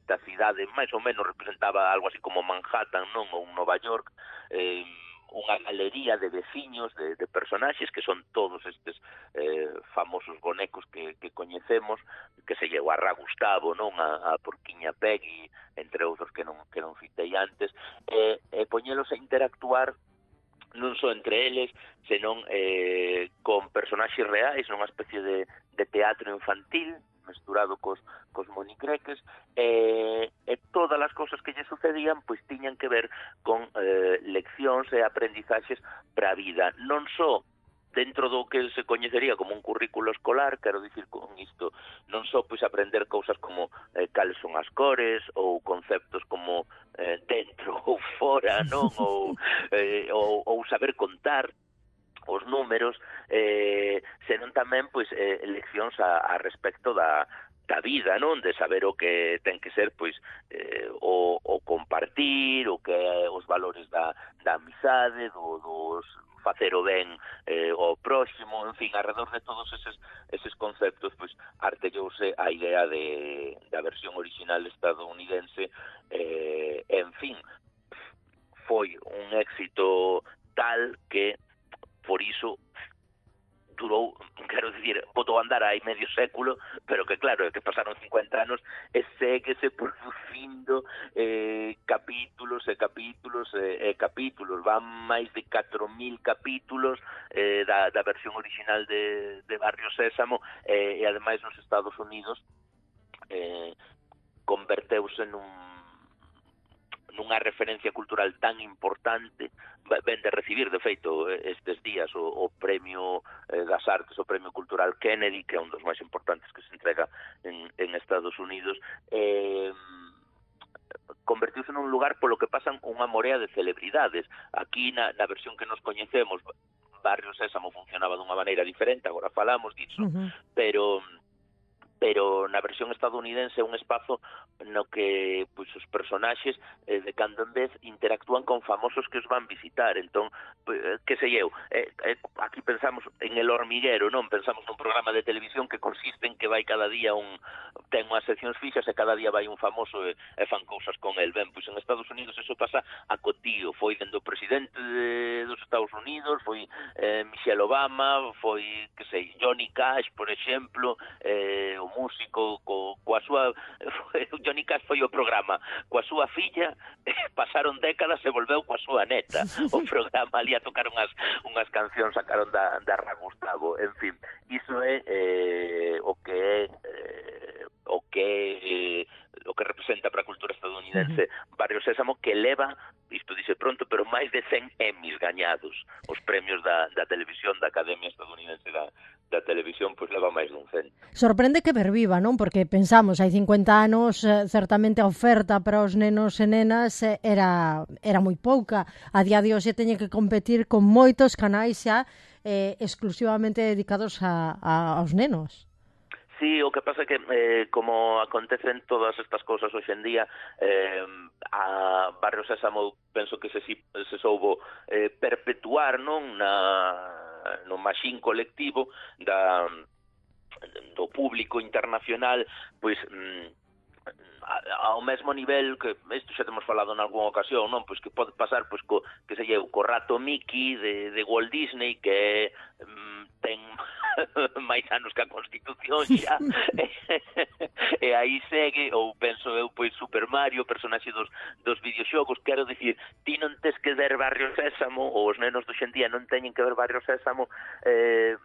da cidade, máis ou menos representaba algo así como Manhattan, non? Ou Nova York, eh, unha galería de veciños, de, de personaxes, que son todos estes eh, famosos bonecos que, que coñecemos, que se llevou a Ra Gustavo, non? A, a Porquiña Peggy, entre outros que non, que non citei antes, e, e poñelos a interactuar non só entre eles, senón eh, con personaxes reais, nunha especie de, de teatro infantil, mesturado cos, cos monicreques, e, e todas as cousas que lle sucedían pois tiñan que ver con eh, leccións e aprendizaxes para a vida, non só dentro do que se coñecería como un currículo escolar, quero dicir con isto, non só pois aprender cousas como eh, cales son as cores, ou conceptos como eh, dentro ou fora, non? Ou, eh, ou, ou saber contar os números, eh, senón tamén pois eh, leccións a, a respecto da da vida, non? De saber o que ten que ser pois eh, o, o compartir, o que os valores da, da amizade, do, dos facer o ben eh, ao próximo, en fin, alrededor de todos eses, eses conceptos, pois artellouse a idea de, da versión original estadounidense, eh, en fin, foi un éxito tal que, por iso, durou, quero dicir, botou a andar hai medio século, pero que claro, que pasaron cincuenta anos e séguese producindo eh, capítulos e capítulos e, e capítulos, van máis de catro mil capítulos eh, da, da versión original de, de Barrio Sésamo eh, e ademais nos Estados Unidos eh, converteuse nun nunha referencia cultural tan importante, ven de recibir, de feito, estes días o, o Premio eh, das Artes, o Premio Cultural Kennedy, que é un dos máis importantes que se entrega en, en Estados Unidos, eh, convertiuse nun lugar polo que pasan unha morea de celebridades. Aquí, na, na versión que nos coñecemos, Barrio Sésamo funcionaba dunha maneira diferente, agora falamos disso, uh-huh. pero... pero na versión estadounidense é un espazo no que pois os personaxes eh, de cando en vez interactúan con famosos que os van visitar. Entón, eh, que sei eu, eh, eh, aquí pensamos en El Hormiguero, non? Pensamos nun programa de televisión que consiste en que vai cada día un ten unhas seccións fixas e cada día vai un famoso e, e fan cousas con el. Ben, pois en Estados Unidos eso pasa a cotío, foi dende o presidente de, dos Estados Unidos, foi eh, Michelle Obama, foi, que sei, Johnny Cash, por exemplo, eh, o músico co, coa súa Johnny Cash foi o programa coa súa filla, pasaron décadas e volveu coa súa neta o programa ali a tocar unhas, unhas cancións sacaron da, da Ra Gustavo, en fin, iso é eh, o que é eh, o que eh, o que representa para a cultura estadounidense Barrio Sésamo, que leva, isto dice pronto, pero máis de cen Emmys gañados, os premios da, da televisión, da Academia Estadounidense da, da Televisión, pois leva máis dun cen. Sorprende que perviva, non? Porque pensamos, hai cincuenta anos, eh, certamente a oferta para os nenos e nenas eh, era, era moi pouca. A día de hoxe teñen que competir con moitos canais xa eh, exclusivamente dedicados a, a, aos nenos. Sí, o que pasa é que, eh, como acontecen todas estas cousas hoxe en día, eh, a Barrio Sésamo penso que se, se soubo eh, perpetuar, non, na, no maxín colectivo da, do público internacional, pois ao mesmo nivel que isto xa temos falado en algunha ocasión, non? Pois que pode pasar pois co que se lle co rato Mickey de, de Walt Disney, que mm, ten máis anos que a Constitución xa, e aí segue, ou penso eu, pois Super Mario, personaxe dos, dos videoxogos, quero dicir, ti non tes que ver Barrio Sésamo, ou os nenos do xendía non teñen que ver Barrio Sésamo, eh,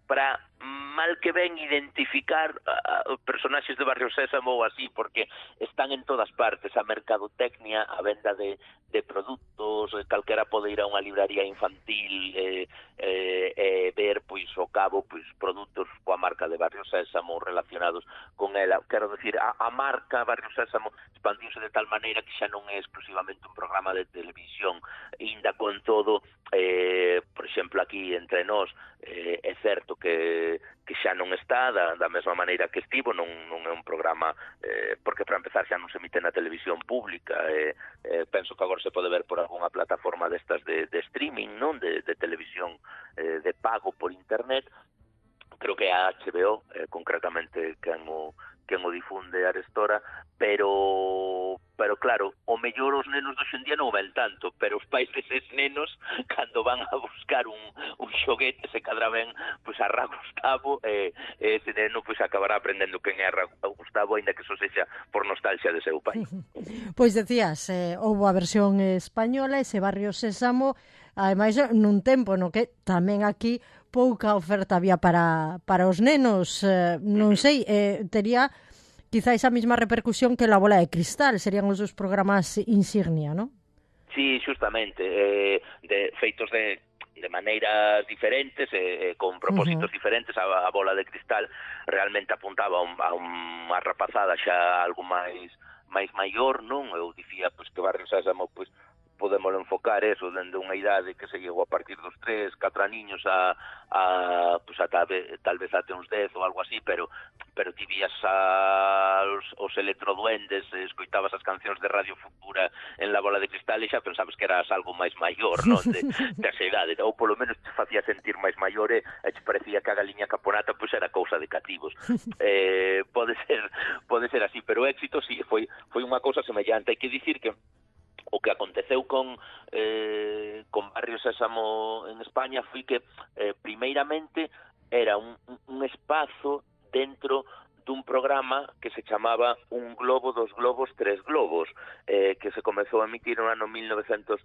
para mal que ven identificar uh, personaxes de Barrio Sésamo ou así, porque están en todas partes, a mercadotecnia, a venda de, de produtos, calquera pode ir a unha libraría infantil e eh, eh, ver, pois, ao cabo, pois, produtos coa marca de Barrio Sésamo relacionados con ela. Quero decir, a, a marca Barrio Sésamo expandiuse de tal maneira que xa non é exclusivamente un programa de televisión, inda con todo, eh, por exemplo, aquí entre nós, eh, é certo que que xa non está da, da mesma maneira que estivo, non, non é un programa, eh, porque para empezar xa non se emite na televisión pública, eh, eh, penso que agora se pode ver por algunha plataforma destas de, de streaming, non, de, de televisión eh, de pago por internet. Creo que a H B O, eh, concretamente, quen o, quen o difunde arestora, pero pero claro, o mellor os nenos do xendía non o ven tanto, pero os pais deses nenos, cando van a buscar un, un xoguete, se cadra ben, pois a Ra Gustavo, e eh, ese neno pois acabará aprendendo quen é a Ra Gustavo, ainda que eso sexa por nostalgia de seu pai. Pois decías, eh, houve a versión española, ese Barrio Sésamo, ademais nun tempo no que tamén aquí pouca oferta había para, para os nenos, eh, non sei, eh, tería quizá esa mesma repercusión que La Bola de Cristal, serían os dos programas insignia, non? Sí, justamente, eh, de, feitos de, de maneiras diferentes, eh, con propósitos uh-huh. diferentes. A, a Bola de Cristal realmente apuntaba a, un, a unha rapazada xa algo máis máis maior, non? Eu dicía pois, que Barrio Sésamo pois, podemos enfocar eso dende unha idade que se llegou a partir dos tres, catro niños a, a pues a tal, vez, tal vez até uns dez ou algo así, pero pero ti vías a, os, os electroduendes, escoitabas as cancións de Radio Futura en La Bola de Cristal e xa pensabas que eras algo máis maior, non? De, de esa idade, ou polo menos te facía sentir máis maior e te parecía que a galiña caponata pois era cousa de cativos. Eh, pode ser pode ser así, pero o éxito sí, foi, foi unha cousa semellante. Hai que dicir que o que aconteceu con eh, con Barrio Sésamo en España foi que eh, primeiramente era un, un espazo dentro dun programa que se chamaba Un globo, dos globos, tres globos, eh, que se comezou a emitir no ano mil novecentos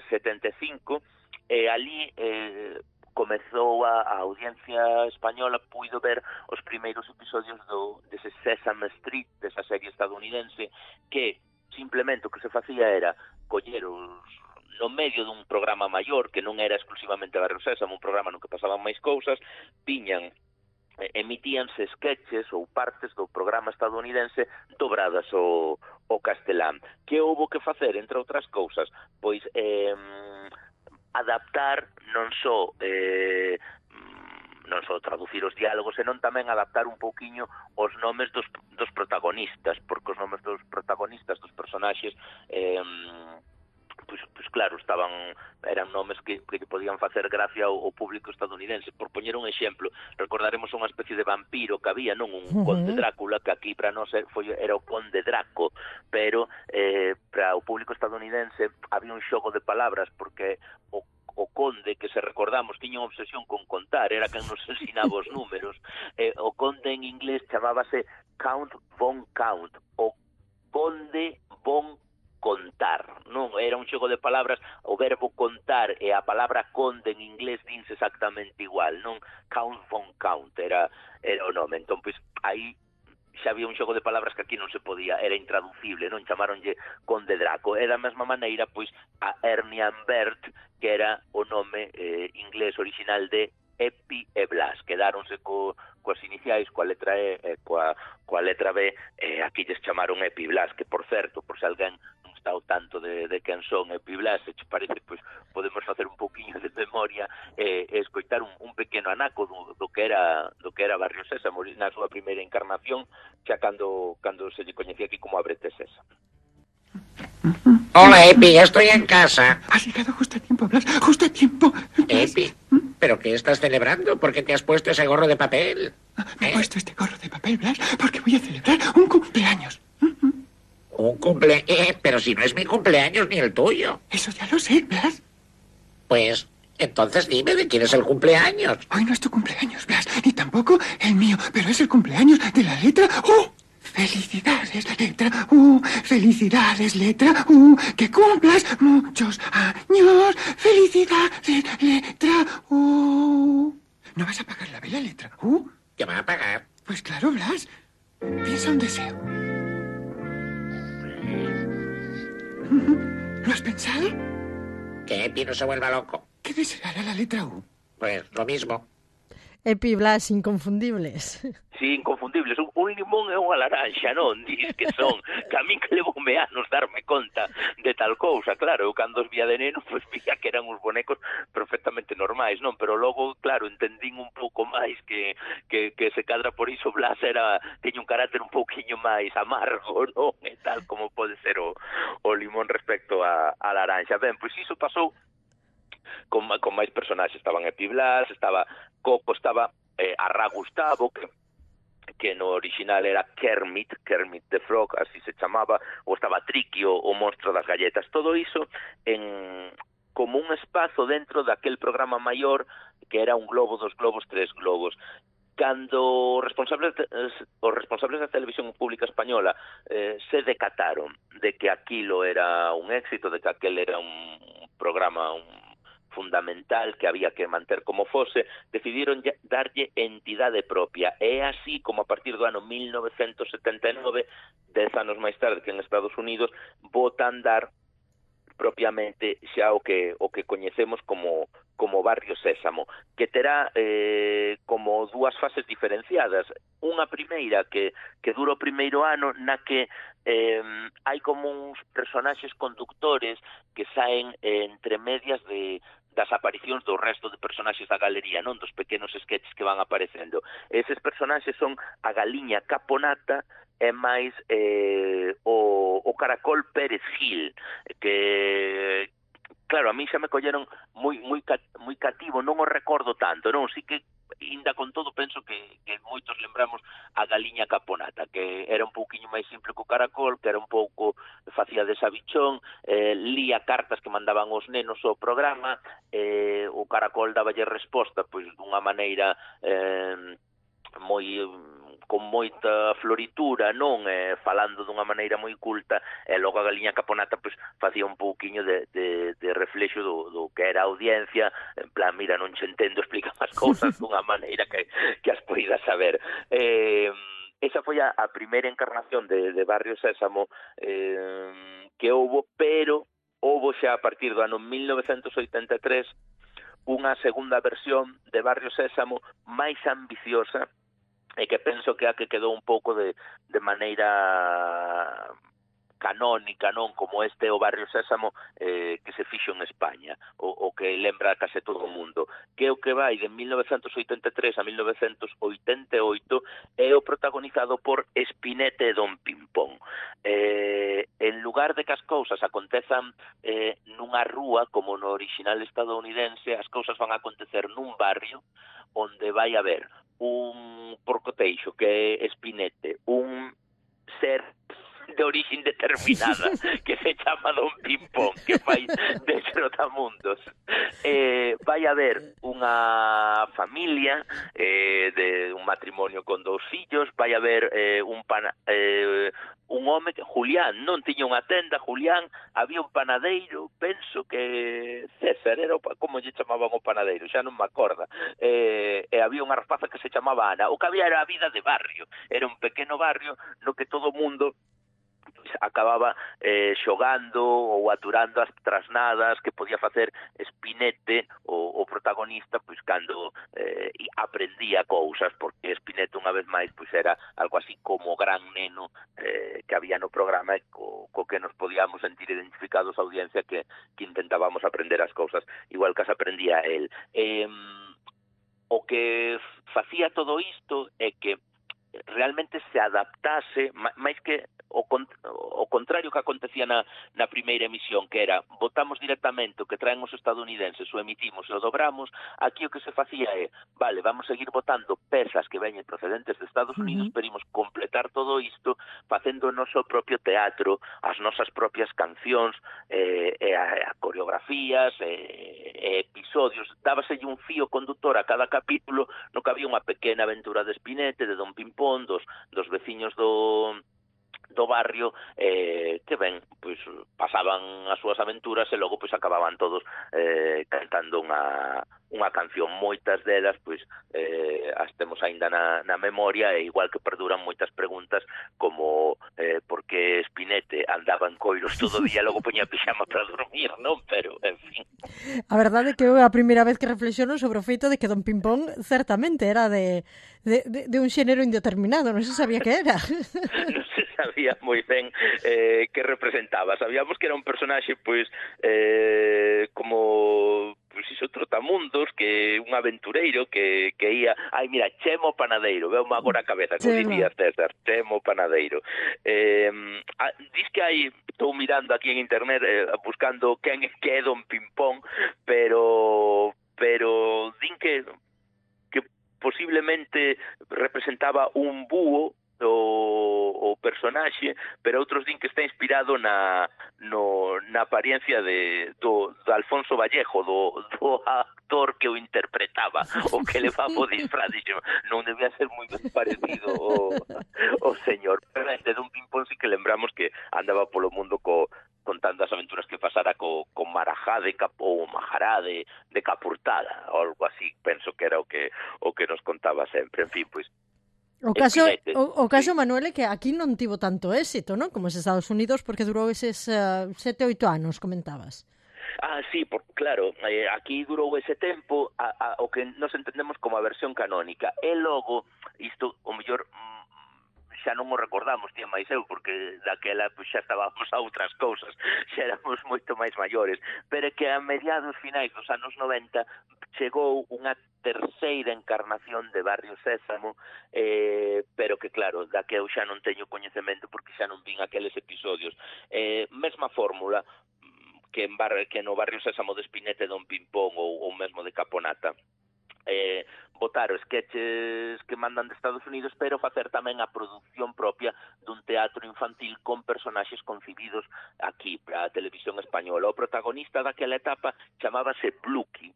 setenta e cinco, e ali eh, comezou a, a audiencia española, puido ver os primeiros episodios do, dese Sesame Street, desa serie estadounidense, que simplemente o que se facía era coller os, no medio dun programa maior, que non era exclusivamente Barrio Sésamo, un programa no que pasaban máis cousas, viñan, emitíanse sketches ou partes do programa estadounidense dobradas ao, ao castelán. Que houbo que facer, entre outras cousas? Pois eh, adaptar non só eh, non só traducir os diálogos, senón tamén adaptar un pouquiño os nomes dos, dos protagonistas, porque os nomes dos protagonistas, dos personaxes, eh, pois, pois claro, estaban eran nomes que, que podían facer gracia ao, ao público estadounidense. Por poñer un exemplo, recordaremos unha especie de vampiro que había, non? Un uh-huh. conde Drácula, que aquí para nós foi, era o conde Draco, pero eh, para o público estadounidense había un xogo de palabras, porque o o conde, que se recordamos, tiña unha obsesión con contar, era quen nos ensinaba os números. Eh, o conde en inglés chamábase Count von Count, o conde von contar, non? Era un xogo de palabras, o verbo contar e a palabra conde en inglés dinse exactamente igual, non? Count von Count era, era o nome. Entón, pois, aí xa había un xogo de palabras que aquí non se podía, era intraducible, non? Chamaronlle Conde Draco. E da mesma maneira, pois, a Ernie and Bert, que era o nome eh, inglés original de Epi e Blas. Quedáronse co, coas iniciais, coa letra E e coa, coa letra B, e aquí lles chamaron Epi e Blas, que, por certo, por se alguén non está ao tanto de, de quen son Epi e Blas, se che parece, pois, podemos facer un pouquiño de memoria e, e escoitar un, un pequeno anaco do, do que era do que era Barrio Sésamo na súa primeira encarnación, xa cando, cando se lle coñecía aquí como Ábrete Sésamo. Hola, Epi, estoy en casa. Has llegado justo a tiempo, Blas, justo a tiempo. Epi, ¿pero qué estás celebrando? ¿Por qué te has puesto ese gorro de papel? Me he ¿Eh? puesto este gorro de papel, Blas, porque voy a celebrar un cumpleaños. ¿Un cumple? Eh, pero si no es mi cumpleaños ni el tuyo. Eso ya lo sé, Blas. Pues Entonces dime de quién es el cumpleaños. Hoy no es tu cumpleaños, Blas, ni tampoco el mío, pero es el cumpleaños de la letra U. Felicidades, letra U, felicidades, letra U, que cumplas muchos años, felicidades, letra U. ¿No vas a pagar la vela, letra U? ¿Qué va a pagar? Pues claro, Blas. Piensa un deseo. ¿Lo has pensado? Que Epi no se vuelva loco. ¿Qué deseará la letra U? Pues lo mismo. Epi, Blas, inconfundibles. Sí, inconfundibles. Un, un limón e unha laranxa, non? Dis que son. Que a min que levoume anos darme conta de tal cousa. Claro, eu cando os vía de neno, pois pues, vía que eran uns bonecos perfectamente normais, non? Pero logo, claro, entendín un pouco máis que, que, que se cadra por iso Blas era, teña un carácter un pouquiño máis amargo, non? E tal como pode ser o, o limón respecto a, a laranxa. Ben, pois iso pasou con, con máis personaxes. Estaban Epi Blas, estaba Coco, estaba eh, Arra Gustavo, que que no original era Kermit, Kermit the Frog, así se chamaba, ou estaba Triqui, o, o monstro das galletas. Todo iso en como un espazo dentro daquel programa maior que era un globo, dos globos, tres globos. Cando os responsables de, os responsables da televisión pública española eh, se decataron de que aquilo era un éxito, de que aquel era un programa un fundamental que había que manter como fose, decidiron darlle entidade propia. E así como a partir do ano mil novecentos setenta e nove, dez anos máis tarde que en Estados Unidos, botan dar propiamente xa o que o que coñecemos como como Barrio Sésamo, que terá eh, como dúas fases diferenciadas. Unha primeira que, que dura o primeiro ano na que eh, hai como uns personaxes conductores que saen eh, entre medias de das aparicións do resto de personaxes da galería, non dos pequenos sketches que van aparecendo. Eses personaxes son a Galiña Caponata e máis eh, o, o Caracol Pérez Gil, que claro, a mí xa me colleron moi moi moi cativo, non o recordo tanto, non, si que inda con todo penso que, que moitos lembramos a Galiña Caponata, que era un pouquiño máis simple que o Caracol, que era un pouco facía de sabichón, eh, lía cartas que mandaban os nenos ao programa, eh, o Caracol daballe resposta pois dunha maneira eh, moi con moita floritura, non, eh, falando dunha maneira moi culta, e logo a Galiña Caponata pois facía un pouquiño de, de, de reflexo do, do que era a audiencia, en plan, mira, non che entendo, explica as cousas dunha maneira que, que as poidas saber. Eh, esa foi a, a primeira encarnación de, de Barrio Sésamo eh, que houbo, pero houbo xa a partir do ano mil novecentos oitenta e tres unha segunda versión de Barrio Sésamo máis ambiciosa, e que penso que a que quedou un pouco de, de maneira canónica, non, como este o Barrio Sésamo eh, que se fixo en España, o, o que lembra case todo o mundo, que é o que vai de mil novecentos oitenta e tres a mil novecentos oitenta e oito, é o protagonizado por Spinette e Don Pimpón. Eh, en lugar de que as cousas acontezan eh, nunha rúa, como no original estadounidense, as cousas van a acontecer nun barrio onde vai haber un porcoteixo que é Spinette, un ser de origen determinada que se chama Don Pimpón, que fai de trotamundos. Eh, vai haber unha familia eh, de un matrimonio con dous fillos, vai haber eh, un pana, eh, un home que Julián non tiña unha tenda, Julián, había un panadeiro, penso que César era, o, como lle chamaban o panadeiro, xa non me acorda, eh, e había unha rapaza que se chamaba Ana. O que había era a vida de barrio, era un pequeno barrio no que todo o mundo acababa eh, xogando ou aturando as trasnadas que podía facer Spinette, o, o protagonista, pois cando eh, aprendía cousas, porque Spinette unha vez máis pois era algo así como gran neno eh, que había no programa, e co, co que nos podíamos sentir identificados a audiencia que, que intentábamos aprender as cousas igual que as aprendía el. Eh, o que facía todo isto é que realmente se adaptase, máis que o, con, o contrario que acontecía na, na primeira emisión, que era votamos directamente o que traen os estadounidenses, o emitimos e o dobramos. Aquí o que se facía é, vale, vamos seguir votando pezas que veñen procedentes de Estados Unidos, uh-huh. pero imos completar todo isto facendo o noso propio teatro, as nosas propias cancións, eh, e a, a coreografías, e, e episodios. Dábaselle un fío conductor a cada capítulo no que había unha pequena aventura de Spinete, de Don Pimpón, dos, dos veciños do... do barrio, eh, que ben, pois pasaban as súas aventuras e logo pois acababan todos eh, cantando unha unha canción. Moitas delas pois eh, as temos aínda na, na memoria, e igual que perduran moitas preguntas como eh, por que Spinete andaba en coiros todo o día e logo poñía pixama para dormir, non? Pero, en fin. A verdade é que eu a primeira vez que reflexiono sobre o feito de que Don Pimpón certamente era de, de, de, de un xénero indeterminado, non se sabía que era. Non se sabía moi ben eh, que representaba. Sabíamos que era un personaxe pois eh, como pois iso, trotamundos, que un aventureiro que, que ia, ai mira, Chemo Panadeiro, veo agora a cabeza, como dicía César, Chemo Panadeiro. Eh, a, dis que hai, estou mirando aquí en internet eh, buscando quen que é Don Pimpón, pero pero din que que posiblemente representaba un búho o, o personaxe, pero outros din que está inspirado na, no, na apariencia de, do, do Alfonso Vallejo, do, do actor que o interpretaba, o que levaba o disfraz. Non debía ser moi parecido o, o señor. Pero de Don Pimpón sí que lembramos que andaba polo mundo co, contando as aventuras que pasara co, con Marajá de Cap, ou Majará de, de Capurtada, ou algo así, penso que era o que o que nos contaba sempre. En fin, pois O caso, o, o caso sí. Manuel, é que aquí non tivo tanto éxito, non? Como os Estados Unidos, porque durou eses uh, sete, oito anos, comentabas. Ah, sí, por, claro, eh, aquí durou ese tempo a, a, o que nos entendemos como a versión canónica. E logo, isto, o mellor, xa non o recordamos, tía máis eu, porque daquela pues, xa estábamos a outras cousas, xa éramos moito máis maiores, pero que a mediados finais dos anos noventa chegou unha terceira encarnación de Barrio Sésamo, eh, pero que claro, da que eu xa non teño coñecemento porque xa non vin aqueles episodios. Eh, mesma fórmula que, en bar, que no Barrio Sésamo de Spinete, Don Pimpón ou, ou mesmo de Caponata. Eh, botar os sketches que mandan de Estados Unidos, pero facer tamén a produción propia dun teatro infantil con personaxes concibidos aquí para a televisión española. O protagonista daquela etapa chamábase Bluky,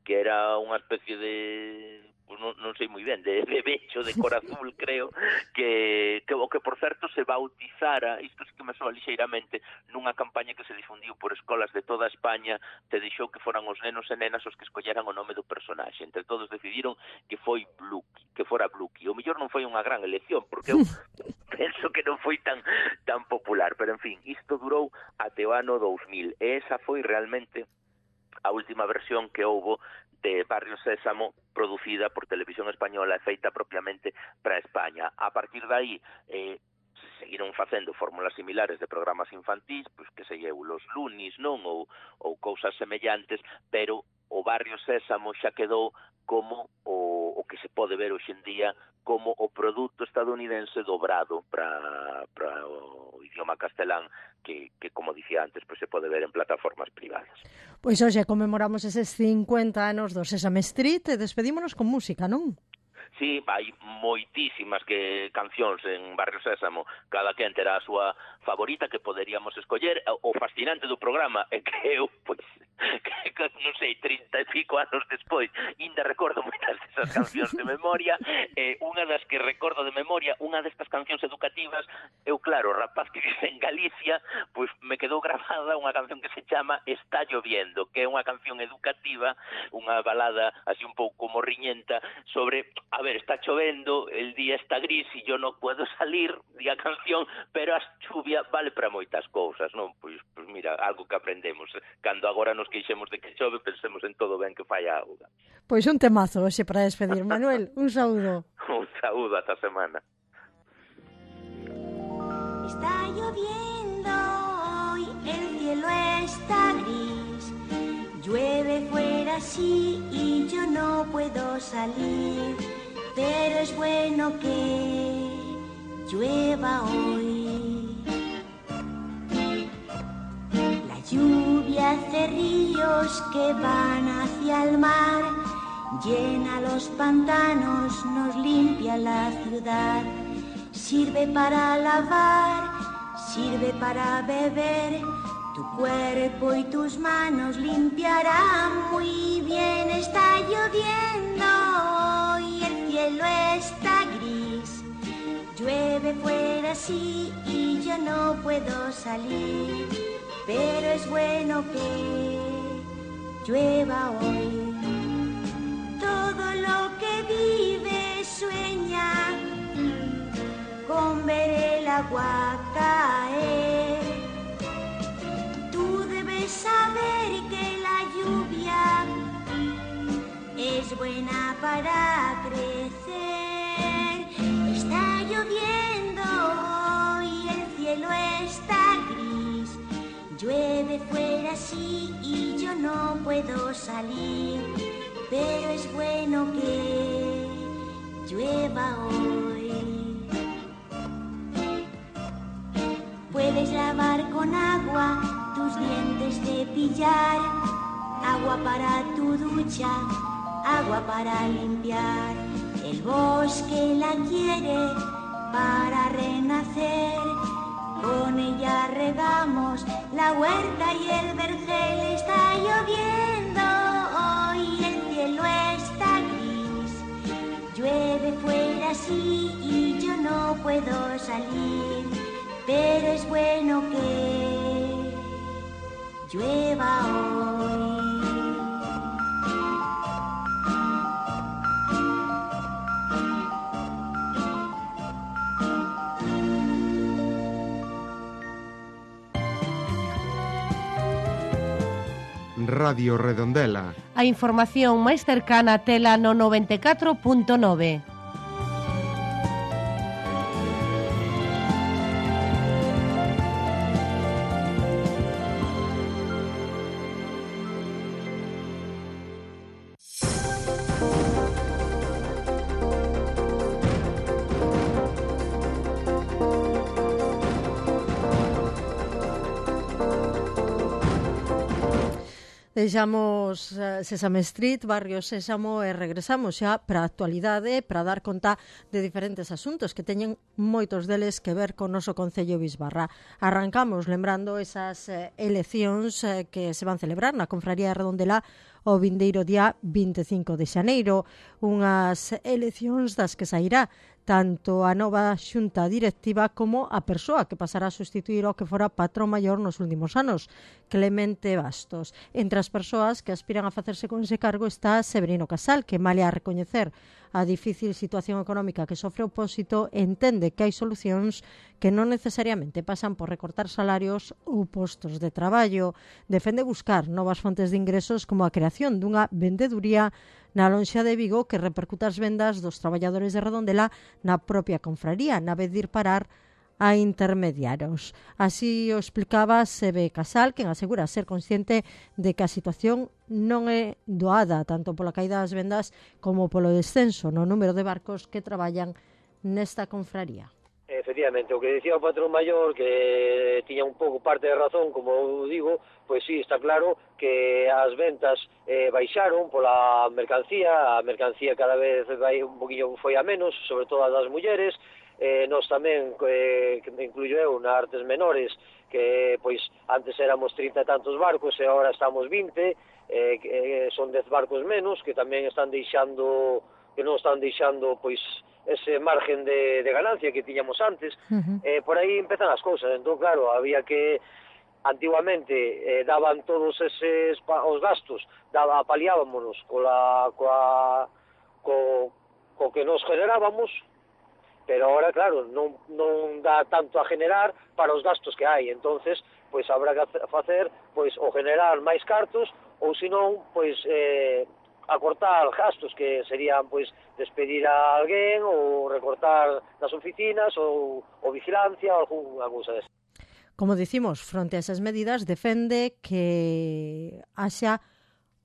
que era unha especie de, pues non, non sei moi ben, de bebecho de cor azul, creo, que, que o que, por certo, se bautizara, isto sí que me soa lixeiramente, nunha campaña que se difundiu por escolas de toda España, te deixou que foran os nenos e nenas os que escolleran o nome do personaxe. Entre todos decidiron que foi Bluky, que fora Bluky. O mellor non foi unha gran elección, porque eu penso que non foi tan tan popular, pero, en fin, isto durou até o ano dous mil, e esa foi realmente a última versión que houbo de Barrio Sésamo producida por Televisión Española e feita propiamente para España. A partir de aí eh, seguiron facendo fórmulas similares de programas infantís, pois que se llevo los Lunis, non? Ou, ou cousas semellantes, pero o Barrio Sésamo xa quedou como o, o que se pode ver hoxe en día como o produto estadounidense dobrado para, para o idioma castelán que, que, como dicía antes, pues se pode ver en plataformas privadas. Pois hoxe conmemoramos eses cincuenta anos do Sesame Street e despedímonos con música, non? Sí, hai moitísimas que cancións en Barrio Sésamo, cada quen terá a súa favorita que poderíamos escoller. O fascinante do programa é que eu, pois, que, que non sei, trinta e pico anos despois, ainda recordo moitas desas cancións de memoria. Eh, unha das que recordo de memoria, unha destas cancións educativas, eu, claro, rapaz que vive en Galicia, pois me quedou grabada unha canción que se chama Está lloviendo, que é unha canción educativa, unha balada así un pouco morriñenta sobre, a ver, está chovendo, el día está gris e yo non puedo salir, di a canción, pero a chuvia vale para moitas cousas, non? Pois, pois mira, algo que aprendemos. Cando agora nos queixemos de que chove, pensemos en todo ben que fai a auga. Pois un temazo hoxe para despedir. Manuel, un saúdo. Un saúdo ata semana. Está lloviendo hoy, el cielo está gris, llueve fuera sí y yo no puedo salir, pero es bueno que llueva hoy. lluvia hace ríos que van hacia el mar, llena los pantanos, nos limpia la ciudad. Sirve para lavar, sirve para beber, tu cuerpo y tus manos limpiarán muy bien. Está lloviendo y el cielo está gris, llueve fuera sí y yo no puedo salir, pero es bueno que llueva hoy. Todo lo que vive sueña con ver el agua caer. Tú debes saber que la lluvia es buena para crecer. Está lloviendo y el cielo está gris, llueve fuera sí y yo no puedo salir, pero es bueno que llueva hoy. Puedes lavar con agua tus dientes, cepillar, agua para tu ducha, agua para limpiar. El bosque la quiere para renacer, con ella regamos la huerta y el vergel. Está lloviendo hoy, el cielo está gris, llueve fuera sí y yo no puedo salir, pero es bueno que llueva hoy. Radio Redondela. A información máis cercana tela no noventa e catro punto nove. Deixamos uh, Sésame Street, Barrio Sésamo e regresamos xa para a actualidade para dar conta de diferentes asuntos que teñen moitos deles que ver con o noso Concello Bisbarra. Arrancamos lembrando esas uh, eleccións uh, que se van celebrar na Confraría de Redondela o vindeiro día vinte e cinco de xaneiro, unhas eleccións das que sairá tanto a nova xunta directiva como a persoa que pasará a sustituir ao que fora patrón maior nos últimos anos, Clemente Bastos. Entre as persoas que aspiran a facerse con ese cargo está Severino Casal, que malia a recoñecer a difícil situación económica que sofre o Pósito, entende que hai solucións que non necesariamente pasan por recortar salarios ou postos de traballo. Defende buscar novas fontes de ingresos como a creación dunha vendeduría na lonxa de Vigo que repercuta as vendas dos traballadores de Redondela na propia confraría, na vez de ir parar a intermediarios. Así o explicaba Sebe Casal, quen asegura ser consciente de que a situación non é doada tanto pola caída das vendas como polo descenso no número de barcos que traballan nesta confraría. Efectivamente, o que dicía o patrón maior, que tiña un pouco parte de razón, como eu digo, pois sí, está claro que as ventas eh, baixaron pola mercancía, a mercancía cada vez vai un poquinho foi a menos, sobre todo as das mulleres, eh, nós tamén, eh, que me incluyo eu, na Artes Menores, que pois antes éramos trinta e tantos barcos e agora estamos vinte, eh, que son dez barcos menos, que tamén están deixando, que non están deixando, pois, ese margen de, de ganancia que tiñamos antes. Uh-huh. eh, por aí empezan as cousas. Entón, claro, había que antiguamente eh, daban todos eses os gastos, daba, paliábamonos cola, coa, co, co que nos generábamos, pero ahora, claro, non, non dá tanto a generar para os gastos que hai. Entonces, pois habrá que facer, pois, ou generar máis cartos, ou senón, pois, eh, acortar gastos, que serían, pois, despedir a alguén ou recortar nas oficinas ou, ou vigilancia ou algunha cousa desa. Como dicimos, fronte a esas medidas, defende que haxa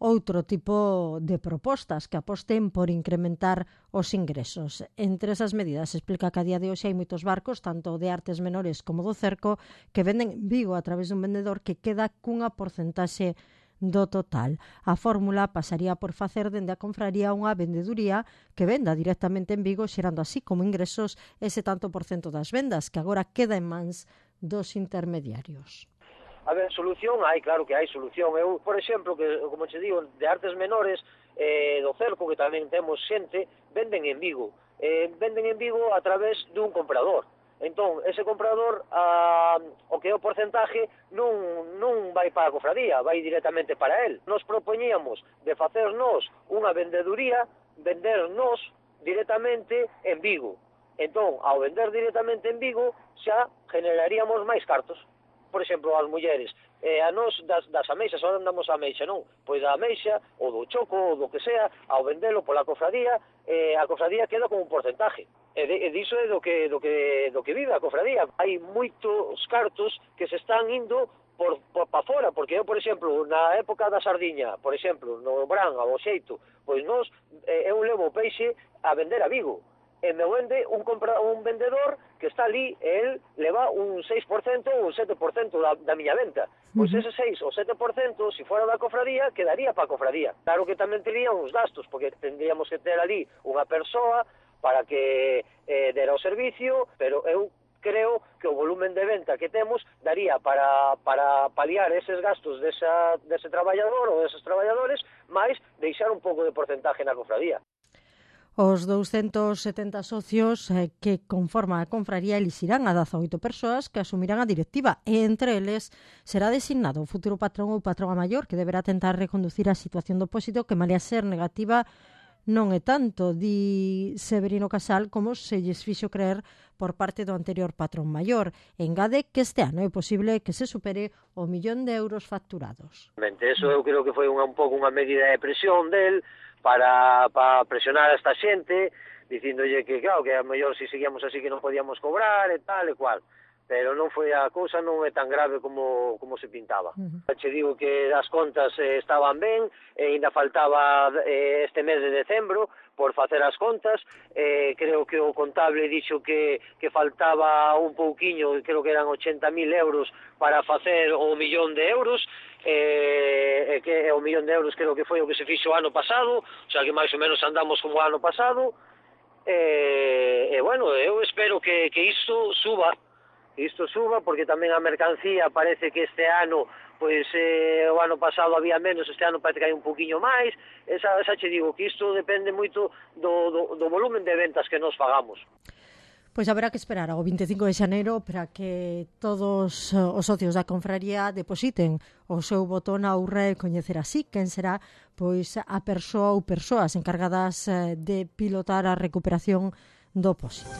outro tipo de propostas que aposten por incrementar os ingresos. Entre esas medidas, explica que a día de hoxe hai moitos barcos, tanto de artes menores como do cerco, que venden en Vigo a través dun vendedor que queda cunha porcentaxe do total. A fórmula pasaría por facer dende a confraría unha vendeduría que venda directamente en Vigo, xerando así como ingresos ese tanto por cento das vendas que agora queda en mans dos intermediarios. A ver, solución hai, claro que hai solución. Eu, por exemplo, que como che digo, de artes menores, eh, do cerco, que tamén temos xente, venden en Vigo. Eh, venden en Vigo a través dun comprador. Entón, ese comprador, a, o que é o porcentaje, non, non vai para a cofradía, vai directamente para él. Nos propoñíamos de facernos unha vendeduría, vendernos directamente en Vigo. Entón, ao vender directamente en Vigo, xa generaríamos máis cartos. Por exemplo, as mulleres, eh, a nos das, das ameixas, ahora andamos a ameixa, non? Pois da ameixa, ou do choco, ou do que sea, ao vendelo pola cofradía, eh, a cofradía queda como un porcentaje. E, de, e diso é do que, do, que, do que vive a cofradía. Hai moitos cartos que se están indo por, por pa fora, porque eu, por exemplo, na época da sardiña, por exemplo, no Bran, ao xeito, pois nos, eh, eu levo o peixe a vender a Vigo. E me vende un, compra, un vendedor que está ali, e el leva un seis por cento ou un sete por cento da, da miña venta. Pois ese seis ou sete por cento, se fora da cofradía, quedaría para a cofradía. Claro que tamén tería uns gastos, porque tendríamos que ter ali unha persoa para que eh, dera o servicio, pero eu creo que o volumen de venta que temos daría para, para paliar eses gastos desa, dese traballador ou deses traballadores, máis deixar un pouco de porcentaje na cofradía. Os douscentos setenta socios eh, que conforman a confraría elixirán a dezaoito persoas que asumirán a directiva e entre eles será designado o futuro patrón ou patrona maior que deberá tentar reconducir a situación do pósito que malea ser negativa non é tanto, di Severino Casal, como se lles fixo creer por parte do anterior patrón maior. Engade que este ano é posible que se supere o millón de euros facturados. Eso eu creo que foi unha, un pouco unha medida de presión del para, para presionar a esta xente, dicíndolle que, claro, que a mellor se seguíamos así que non podíamos cobrar e tal e cual. Pero non foi a cousa, non é tan grave como, como se pintaba. Uh-huh. Che digo que as contas eh, estaban ben, e ainda faltaba eh, este mes de decembro por facer as contas, eh, creo que o contable dixo que, que faltaba un pouquiño, creo que eran ochenta mil euros para facer o millón de euros, eh, que o millón de euros creo que foi o que se fixo o ano pasado, o sea que máis ou menos andamos como o ano pasado, e, eh, eh, bueno, eu espero que, que isto suba, isto suba, porque tamén a mercancía parece que este ano, pois eh, o ano pasado había menos, este ano parece que hai un poquinho máis, esa, esa che digo que isto depende moito do, do, do volumen de ventas que nos fagamos. Pois haberá que esperar ao vinte e cinco de xaneiro para que todos os socios da confraría depositen o seu voto na urra e coñecer así quen será pois a persoa ou persoas encargadas de pilotar a recuperación do pósito.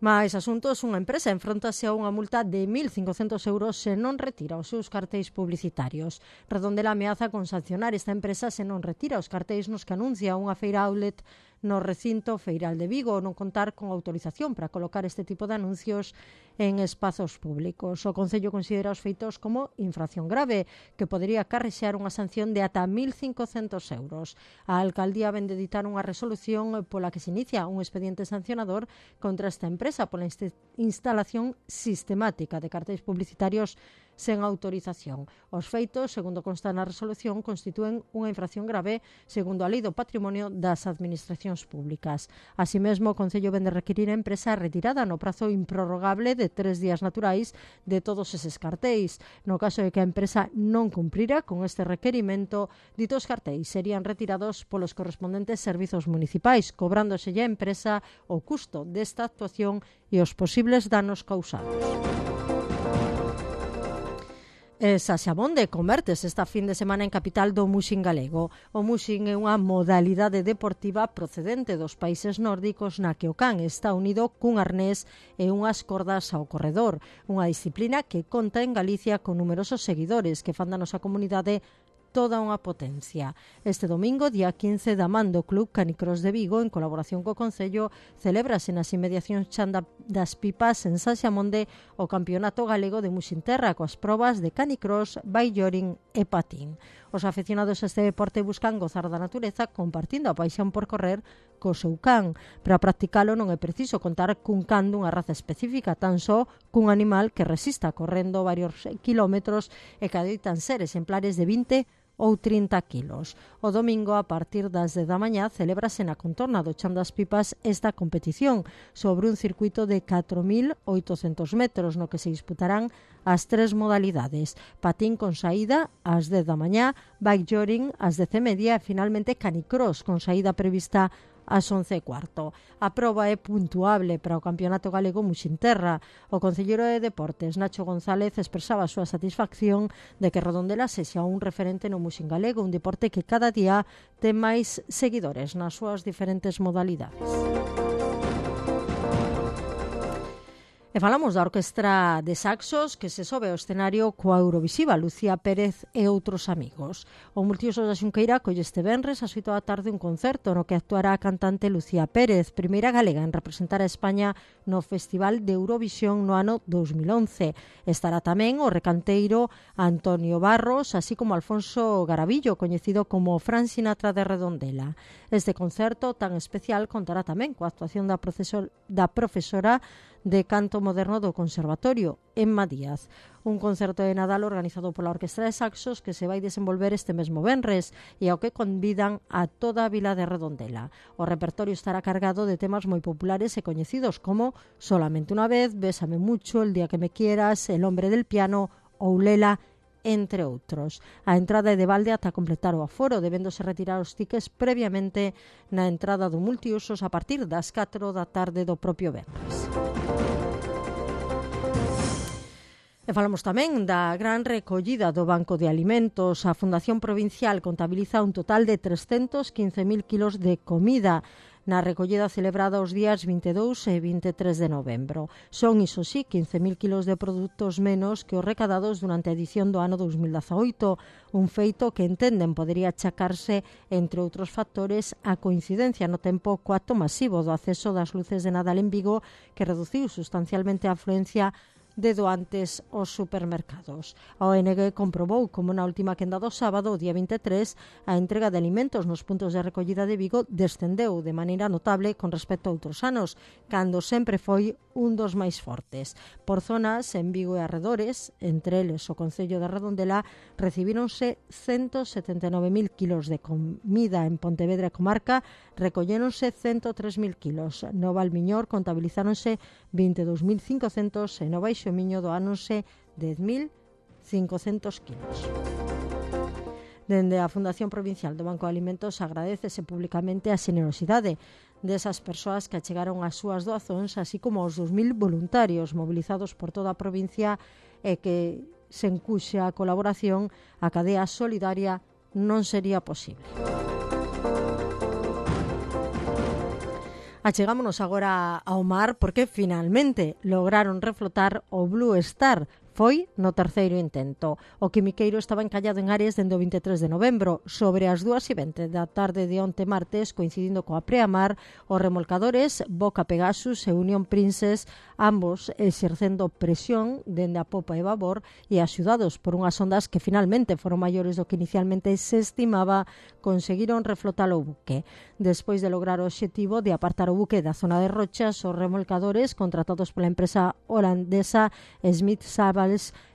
Mais asuntos, unha empresa enfrontase a unha multa de mil cincocentos euros se non retira os seus cartéis publicitarios. Redondela ameaza con sancionar esta empresa se non retira os cartéis nos que anuncia unha feira outlet no recinto feiral de Vigo ou non contar con autorización para colocar este tipo de anuncios en espazos públicos. O Concello considera os feitos como infracción grave que podería acarrexear unha sanción de ata mil cincocentos euros. A Alcaldía vén de editar unha resolución pola que se inicia un expediente sancionador contra esta empresa pola instalación sistemática de cartéis publicitarios sen autorización. Os feitos, segundo consta na resolución, constitúen unha infracción grave segundo a Lei do Patrimonio das Administracións Públicas. Así mesmo, o Concello vén de requirir a empresa retirada no prazo improrrogable de tres días naturais de todos eses cartéis. No caso de que a empresa non cumprira con este requerimento, ditos cartéis serían retirados polos correspondentes servizos municipais, cobrándoselle a empresa o custo desta actuación e os posibles danos causados. E Saxabonde convertes esta fin de semana en capital do muxing galego. O muxing é unha modalidade deportiva procedente dos países nórdicos na que o can está unido cun arnés e unhas cordas ao corredor. Unha disciplina que conta en Galicia con numerosos seguidores que fan da nosa comunidade toda unha potencia. Este domingo, día quince, da man do Club Canicross de Vigo, en colaboración co Concello, celébrase nas inmediacións Chan das Pipas en Saxamonde o Campeonato Galego de Muxinterra coas probas de canicross, bailloring e patín. Os aficionados a este deporte buscan gozar da natureza compartindo a paixón por correr co seu can. Para practicalo non é preciso contar cun can dunha raza específica, tan só cun animal que resista correndo varios kilómetros e que adoitan ser exemplares de vinte ou trinta quilos. O domingo, a partir das dez da mañá, celébrase na contorna do Chan das Pipas esta competición sobre un circuito de catro mil oitocentos metros no que se disputarán as tres modalidades: patín con saída ás dez da mañá, bailloring ás dez e media e finalmente canicross con saída prevista ás once e cuarto. A proba é puntuable para o Campeonato Galego Muxinterra. O concelleiro de Deportes, Nacho González, expresaba a súa satisfacción de que Redondela sexa un referente no muxin galego, un deporte que cada día ten máis seguidores nas súas diferentes modalidades. E falamos da Orquestra de Saxos que se sobe ao escenario coa Eurovisiva Lucía Pérez e outros amigos. O multiusos da Xunqueira colle este venres ás oito da tarde un concerto no que actuará a cantante Lucía Pérez, primeira galega en representar a España no Festival de Eurovisión no ano dos mil once. Estará tamén o recanteiro Antonio Barros, así como Alfonso Garavillo, coñecido como Fran Sinatra de Redondela. Este concerto tan especial contará tamén coa actuación da, profesor, da profesora de canto moderno do Conservatorio, Emma Díaz. Un concerto de Nadal organizado pola Orquestra de Saxos que se vai desenvolver este mesmo venres e ao que convidan a toda a vila de Redondela. O repertorio estará cargado de temas moi populares e coñecidos como Solamente una vez, Bésame mucho, El día que me quieras, El hombre del piano ou Lela, entre outros. A entrada é de balde ata completar o aforo, debéndose retirar os tickets previamente na entrada do multiusos a partir das catro da tarde do propio venres. E falamos tamén da gran recollida do Banco de Alimentos. A Fundación Provincial contabiliza un total de trescentos quince mil kilos de comida na recollida celebrada os días vinte e dous e vinte e tres de novembro. Son, iso sí, quince mil kilos de produtos menos que os recadados durante a edición do ano dos mil dezaoito, un feito que entenden podería achacarse, entre outros factores, a coincidencia no tempo co acto masivo do acceso das luces de Nadal en Vigo, que reduciu sustancialmente a afluencia de doantes aos supermercados. A O N G comprobou como na última quenda do sábado, o día vinte e tres, a entrega de alimentos nos puntos de recollida de Vigo descendeu de maneira notable con respecto a outros anos, cando sempre foi un dos máis fortes. Por zonas, en Vigo e arredores, entre eles o Concello de Redondela, recibíronse ciento setenta e nove mil kilos de comida. En Pontevedra e comarca recolléronse ciento tres mil kilos. No Valmiñor contabilizáronse vinte e dous mil cincocentos e no Baixo Miño doáronse dez mil cincocentos kilos. Dende a Fundación Provincial do Banco de Alimentos agradecese públicamente a xenerosidade desas persoas que achegaron as súas doazóns, así como aos dos mil voluntarios mobilizados por toda a provincia e que, sen cuxa colaboración, a cadea solidaria non sería posible. Achegámonos agora ao mar porque finalmente lograron reflotar o Blue Star. Foi no terceiro intento. O quimiqueiro estaba encallado en Ares dende o vinte e tres de novembro. Sobre as dúas e vinte da tarde de onte martes, coincidindo coa preamar, os remolcadores Boca Pegasus e Unión Princess, ambos exercendo presión dende a popa e babor e axudados por unhas ondas que finalmente foron maiores do que inicialmente se estimaba, conseguiron reflotar o buque. Despois de lograr o obxectivo de apartar o buque da zona de rochas, os remolcadores contratados pola empresa holandesa Smith Saba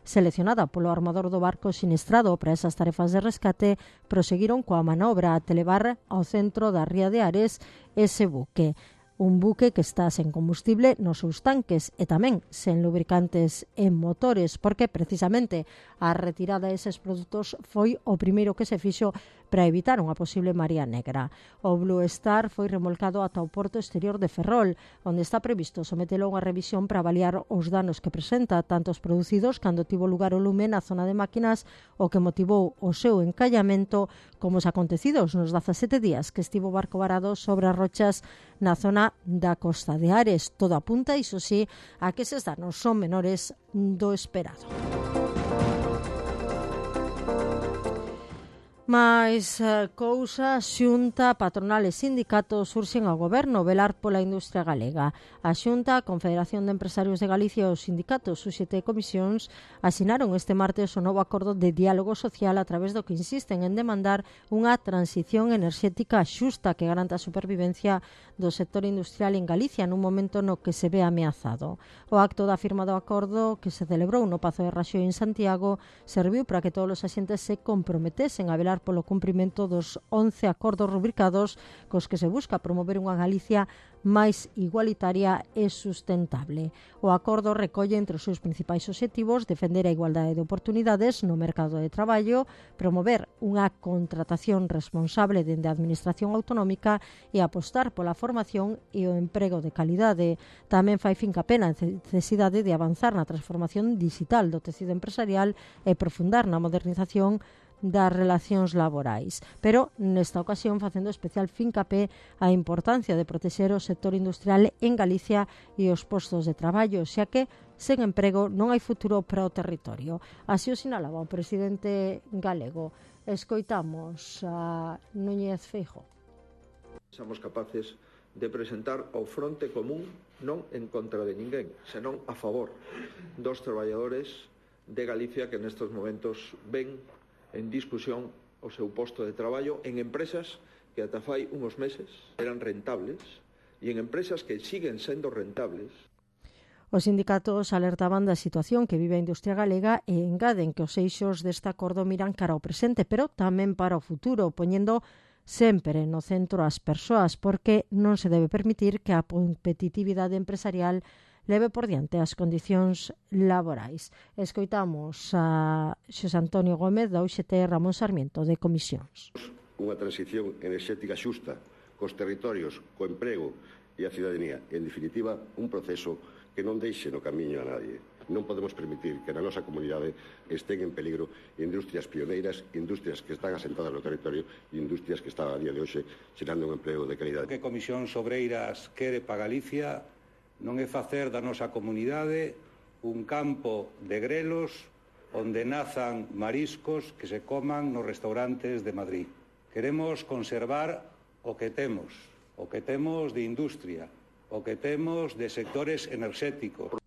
seleccionada polo armador do barco siniestrado para esas tarefas de rescate, proseguiron coa manobra a televar ao centro da ría de Ares ese buque. Un buque que está sen combustible nos seus tanques e tamén sen lubricantes en motores, porque precisamente a retirada deses produtos foi o primeiro que se fixo para evitar unha posible marea negra. O Blue Star foi remolcado ata o porto exterior de Ferrol, onde está previsto sometelo a unha revisión para avaliar os danos que presenta, tanto os producidos cando tivo lugar o lume na zona de máquinas, o que motivou o seu encallamento, como os acontecidos nos dezasete días que estivo o barco varado sobre as rochas na zona da costa de Ares. Todo apunta, iso sí, a que eses danos son menores do esperado. Mais uh, cousas, xunta, patronal e sindicatos surxen ao goberno velar pola industria galega. A Xunta, a Confederación de Empresarios de Galicia e os sindicatos sus xete comisións asinaron este martes o novo acordo de diálogo social a través do que insisten en demandar unha transición enerxética xusta que garanta a supervivencia do sector industrial en Galicia nun momento no que se ve ameazado. O acto da firma do acordo que se celebrou no Pazo de Raxoi en Santiago serviu para que todos os axentes se comprometesen a velar polo cumprimento dos once acordos rubricados cos que se busca promover unha Galicia máis igualitaria e sustentable. O acordo recolle entre os seus principais obxectivos defender a igualdade de oportunidades no mercado de traballo, promover unha contratación responsable dende a administración autonómica e apostar pola formación e o emprego de calidade. Tamén fai fincapé na necesidade de avanzar na transformación digital do tecido empresarial e profundar na modernización das relacións laborais, pero nesta ocasión facendo especial fincapé a importancia de protexer o sector industrial en Galicia e os postos de traballo, xa que sen emprego non hai futuro para o territorio. Así o sinalaba o presidente galego. Escoitamos a Núñez Feijóo. Somos capaces de presentar o fronte común non en contra de ninguén, senón a favor dos traballadores de Galicia que nestes momentos ven en discusión o seu posto de traballo en empresas que ata fai uns meses eran rentables e en empresas que siguen sendo rentables. Os sindicatos alertaban da situación que vive a industria galega e engaden que os eixos deste acordo miran cara ao presente, pero tamén para o futuro, poñendo sempre no centro as persoas, porque non se debe permitir que a competitividade empresarial leve por diante as condicións laborais. Escoitamos a Xosé Antonio Gómez da U X T Ramón Sarmiento de Comisións. Unha transición enerxética xusta cos territorios, co emprego e a cidadanía. En definitiva, un proceso que non deixe no camiño a nadie. Non podemos permitir que na nosa comunidade estén en peligro industrias pioneiras, industrias que están asentadas no territorio e industrias que están a día de hoxe xerando un emprego de calidade. Que Comisións Obreiras quere para Galicia non é facer da nosa comunidade un campo de grelos onde nazan mariscos que se coman nos restaurantes de Madrid. Queremos conservar o que temos, o que temos de industria, o que temos de sectores enerxéticos.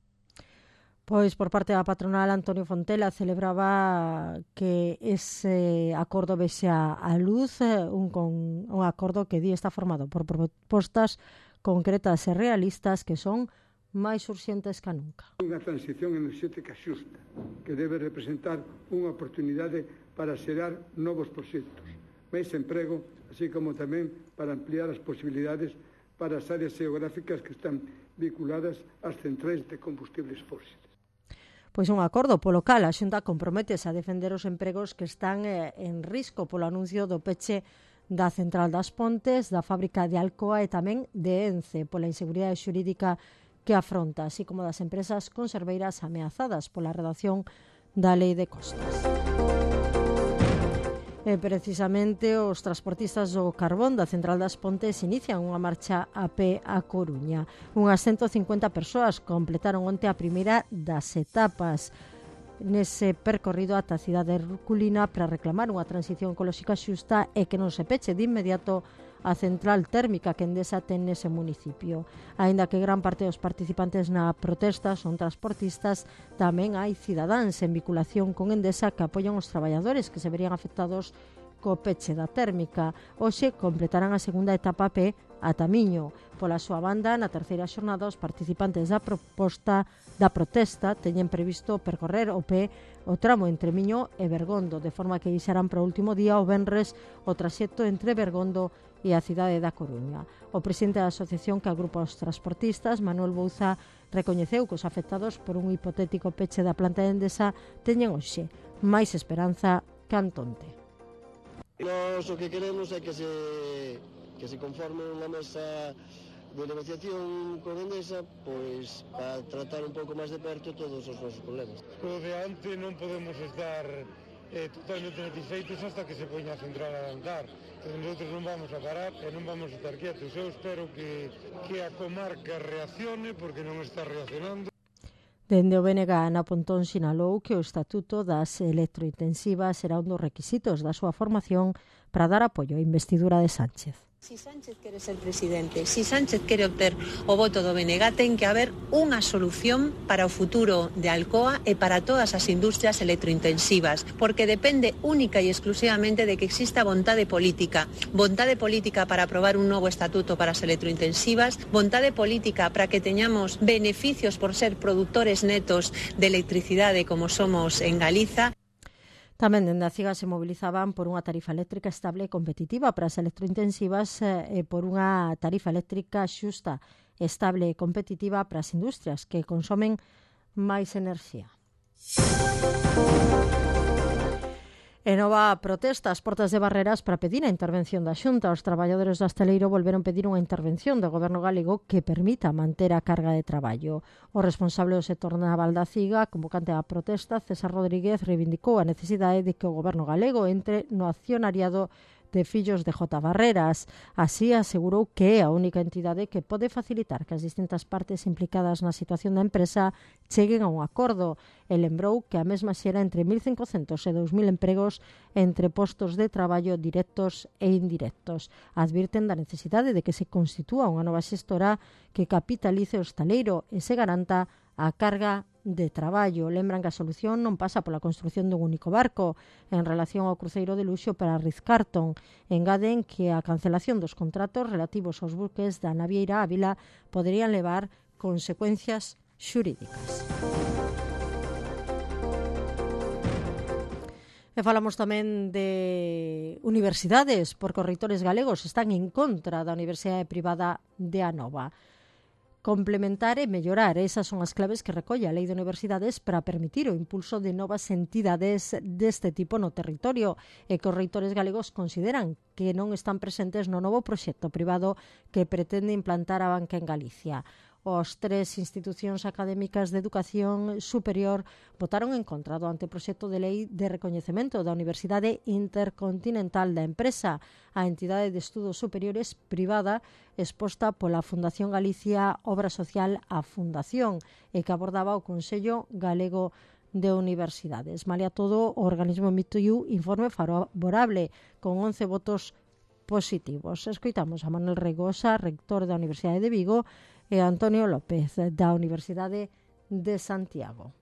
Pois por parte da patronal Antonio Fontela celebraba que ese acordo vexa a luz, un, con, un acordo que di está formado por propostas concretas e realistas que son máis urxentes que nunca. Unha transición enerxética xusta que debe representar unha oportunidade para xerar novos proxectos, máis emprego, así como tamén para ampliar as posibilidades para as áreas geográficas que están vinculadas ás centrais de combustibles fósiles. Pois un acordo polo cal a Xunta comprométese a defender os empregos que están eh, en risco polo anuncio do peche da Central das Pontes, da fábrica de Alcoa e tamén de Ence, pola inseguridade xurídica que afronta, así como das empresas conserveiras ameazadas pola redacción da Lei de Costas. E precisamente os transportistas do carbón da Central das Pontes inician unha marcha a pé a Coruña. Unhas ciento cincuenta persoas completaron onte a primeira das etapas nese percorrido ata a cidade herculina para reclamar unha transición ecolóxica xusta e que non se peche de inmediato a central térmica que Endesa ten nese municipio. Aínda que gran parte dos participantes na protesta son transportistas, tamén hai cidadáns en vinculación con Endesa que apoian os traballadores que se verían afectados co peche da térmica. Hoxe completarán a segunda etapa a pé a Tamiño. Pola súa banda, na terceira xornada, os participantes da proposta da protesta teñen previsto percorrer o pé o tramo entre Miño e Bergondo, de forma que deixarán para o último día o venres o traxecto entre Bergondo e a cidade da Coruña. O presidente da asociación que agrupa os transportistas, Manuel Bouza, recoñeceu que os afectados por un hipotético peche da planta de Endesa teñen hoxe máis esperanza que Antonte. Nos o que queremos é que se, que se conforme unha mesa de negociación con Endesa, pois para tratar un pouco máis de perto todos os nosos problemas. O de ante non podemos estar eh, totalmente satisfeitos hasta que se poña a central a andar. Entón, nosotros non vamos a parar e non vamos a estar quietos. Eu espero que, que a comarca reaccione, porque non está reaccionando. Dende o B N G, Ana Pontón sinalou que o Estatuto das Electrointensivas será un dos requisitos da súa formación para dar apoio á investidura de Sánchez. Si Sánchez quere ser presidente, si Sánchez quere obter o voto do B N G, ten que haber unha solución para o futuro de Alcoa e para todas as industrias electrointensivas, porque depende única e exclusivamente de que exista vontade política. Vontade política para aprobar un novo estatuto para as electrointensivas, vontade política para que teñamos beneficios por ser produtores netos de electricidade como somos en Galiza. Tamén dende a CIGA se movilizaban por unha tarifa eléctrica estable e competitiva para as electrointensivas e por unha tarifa eléctrica xusta, estable e competitiva para as industrias que consomen máis enerxía. E nova protesta ás portas de Barreras para pedir a intervención da Xunta. Os traballadores do hostaleiro volveron pedir unha intervención do Goberno galego que permita manter a carga de traballo. O responsable do sector naval da CIGA, convocante á protesta, César Rodríguez, reivindicou a necesidade de que o Goberno galego entre no accionariado de Fillos de J. Barreras. Así asegurou que é a única entidade que pode facilitar que as distintas partes implicadas na situación da empresa cheguen a un acordo. E lembrou que a mesma xera entre mil cincocentos e dous mil empregos entre postos de traballo directos e indirectos. Advirten da necesidade de que se constitúa unha nova xestora que capitalice o hostaleiro e se garanta a carga de traballo. Lembran que a solución non pasa pola construción dun único barco en relación ao cruceiro de luxo para Ritz-Carlton. Engaden que a cancelación dos contratos relativos aos buques da navieira Ávila poderían levar consecuencias xurídicas. E falamos tamén de universidades, porque os reitores galegos están en contra da Universidade Privada de Anova. Complementar e mellorar, esas son as claves que recolle a Lei de Universidades para permitir o impulso de novas entidades deste tipo no territorio e que os reitores galegos consideran que non están presentes no novo proxecto privado que pretende implantar a banca en Galicia. Os tres institucións académicas de educación superior votaron en contra do anteproxecto de lei de recoñecemento da Universidade Intercontinental da Empresa, a entidade de estudos superiores privada exposta pola Fundación Galicia Obra Social a Fundación e que abordaba o Consello Galego de Universidades. Malia todo, o organismo emitiu informe favorable con once votos positivos. Escoitamos a Manuel Regosa, rector da Universidade de Vigo, e Antonio López, da Universidade de Santiago.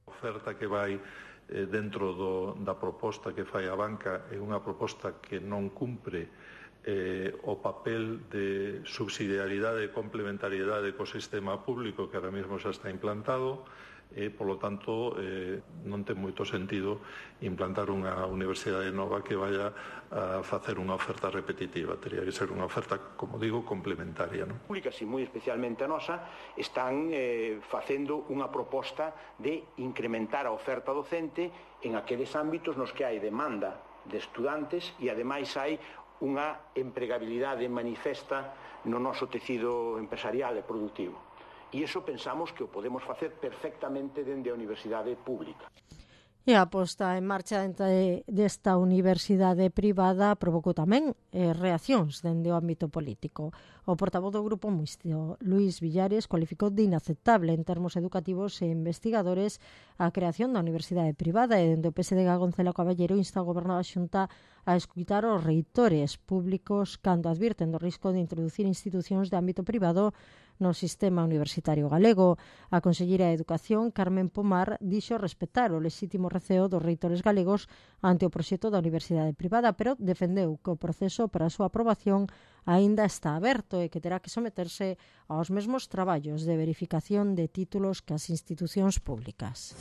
A oferta que vai eh, dentro do, da proposta que fai a banca é unha proposta que non cumpre eh, o papel de subsidiariedade e complementariedade co sistema público que ahora mesmo xa está implantado e, polo tanto, eh, non ten moito sentido implantar unha universidade nova que vaya a facer unha oferta repetitiva. Tería que ser unha oferta, como digo, complementaria, non? Públicas e moi especialmente a nosa están eh, facendo unha proposta de incrementar a oferta docente en aqueles ámbitos nos que hai demanda de estudantes e ademais hai unha empregabilidade manifesta no noso tecido empresarial e productivo. E iso pensamos que o podemos facer perfectamente dende a universidade pública. E a posta en marcha desta universidade privada provocou tamén eh, reaccións dende o ámbito político. O portavoz do Grupo Mixto, Luís Villares, cualificou de inaceptable en termos educativos e investigadores a creación da universidade privada e dende o P S D G Gonzalo Caballero insta ao Goberno da Xunta a escutar os reitores públicos cando advirten do risco de introducir institucións de ámbito privado no sistema universitario galego. A conselleira de Educación, Carmen Pomar, dixo respetar o lexítimo receo dos reitores galegos ante o proxecto da universidade privada, pero defendeu que o proceso para a súa aprobación aínda está aberto e que terá que someterse aos mesmos traballos de verificación de títulos que as institucións públicas.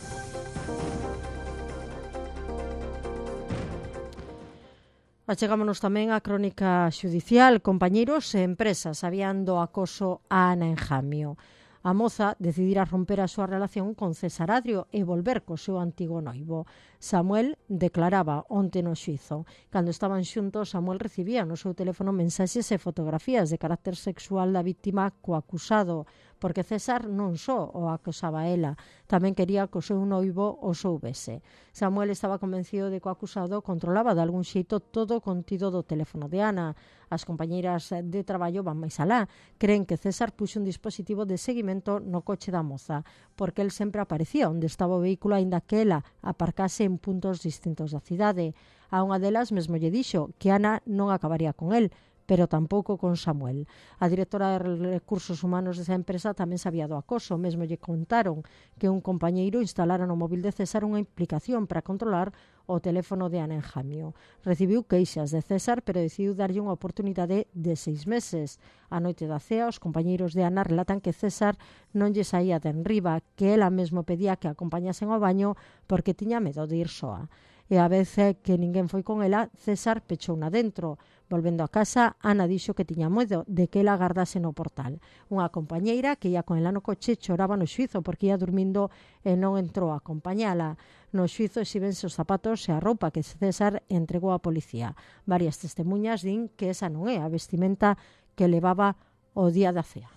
Achegámonos tamén á crónica xudicial. Compañeiros e empresas habían do acoso a Ana Enjamio. A moza decidira romper a súa relación con César Adrio e volver co seu antigo noivo. Samuel declaraba onte no xuizo. Cando estaban xuntos, Samuel recibía no seu teléfono mensaxes e fotografías de carácter sexual da víctima co acusado, porque César non só o acosaba a ela, tamén quería que o seu noivo o soubese. Samuel estaba convencido de que o acusado controlaba de algún xeito todo o contido do teléfono de Ana. As compañeiras de traballo van máis alá. Creen que César puxo un dispositivo de seguimento no coche da moza, porque el sempre aparecía onde estaba o vehículo aínda que ela aparcase en puntos distintos da cidade. A unha delas mesmo lle dixo que Ana non acabaría con el, pero tampouco con Samuel. A directora de Recursos Humanos desa empresa tamén sabía do acoso. Mesmo lle contaron que un compañeiro instalara no móvil de César unha implicación para controlar o teléfono de Ana en Jamio. Recibiu queixas de César, pero decidiu darlle unha oportunidade de seis meses. A noite da cea, os compañeiros de Ana relatan que César non lle saía de enriba, que ela mesmo pedía que acompañasen ao baño porque tiña medo de ir soa. E a vez que ninguén foi con ela, César pechouna dentro. Volvendo a casa, Ana dixo que tiña medo de que ela agardase no portal. Unha compañeira que ia con ela no coche choraba no xuizo porque ia dormindo e non entrou a acompañala. No xuizo exíbense os zapatos e a roupa que César entregou á policía. Varias testemunhas din que esa non é a vestimenta que levaba o día da cea.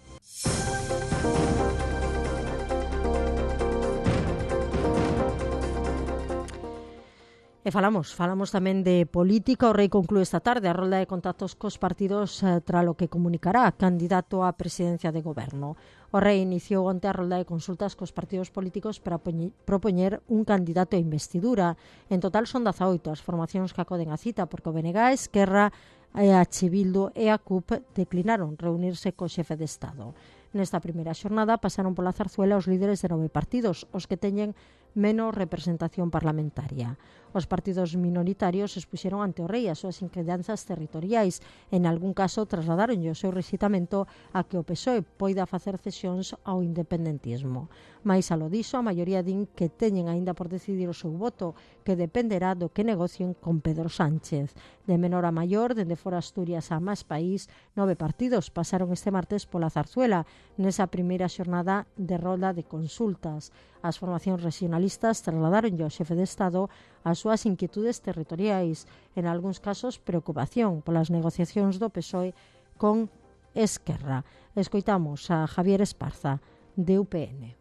E falamos, falamos tamén de política. O Rei conclúe esta tarde a rolda de contactos cos partidos eh, tra lo que comunicará candidato á presidencia de goberno. O Rei iniciou onte a rolda de consultas cos partidos políticos para propoñer un candidato a investidura. En total son dezaoito as formacións que acoden a cita, porque o B N G, Esquerra, a H. Bildu e a C U P declinaron reunirse co xefe de Estado. Nesta primeira xornada pasaron pola zarzuela os líderes de nove partidos, os que teñen menos representación parlamentaria. Os partidos minoritarios expuxeron ante o Rei as súas inquedanzas territoriais. En algún caso trasladaron o seu resitamento a que o P S O E poida facer cesións ao independentismo. Mais a lo diso, a maioría din que teñen aínda por decidir o seu voto, que dependerá do que negocien con Pedro Sánchez. De menor a maior, dende fora Asturias a Más País, nove partidos pasaron este martes pola zarzuela nesa primeira xornada de rolda de consultas. As formacións regionalistas trasladaron ao xefe de Estado as súas inquietudes territoriais, en algúns casos preocupación polas negociacións do P S O E con Esquerra. Escoitamos a Javier Esparza, de U P N.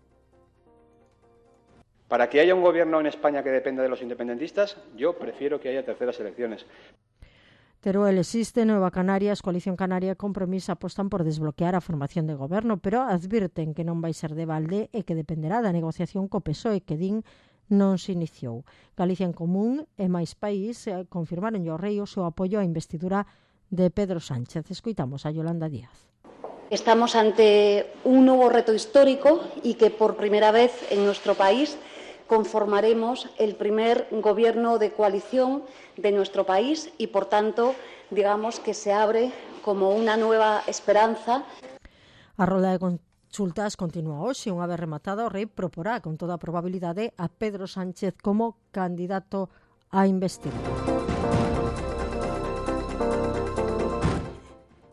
Para que haya un gobierno en España que dependa de los independentistas, yo prefiero que haya terceras elecciones. Teruel existe, Nueva Canarias, Coalición Canaria e Compromís apostan por desbloquear a formación de goberno, pero advirten que non vai ser de balde e que dependerá da negociación co P S O E, que din non se iniciou. Galicia en Común e Máis País confirmaron ao Rei o seu apoio á investidura de Pedro Sánchez. Escoitamos a Yolanda Díaz. Estamos ante un nuevo reto histórico y que por primera vez en nuestro país conformaremos el primer gobierno de coalición de nuestro país y, por tanto, digamos que se abre como una nueva esperanza. A rolda de consultas continúa hoxe. Unha vez rematada, o Rei proporá con toda a probabilidade a Pedro Sánchez como candidato a investidura.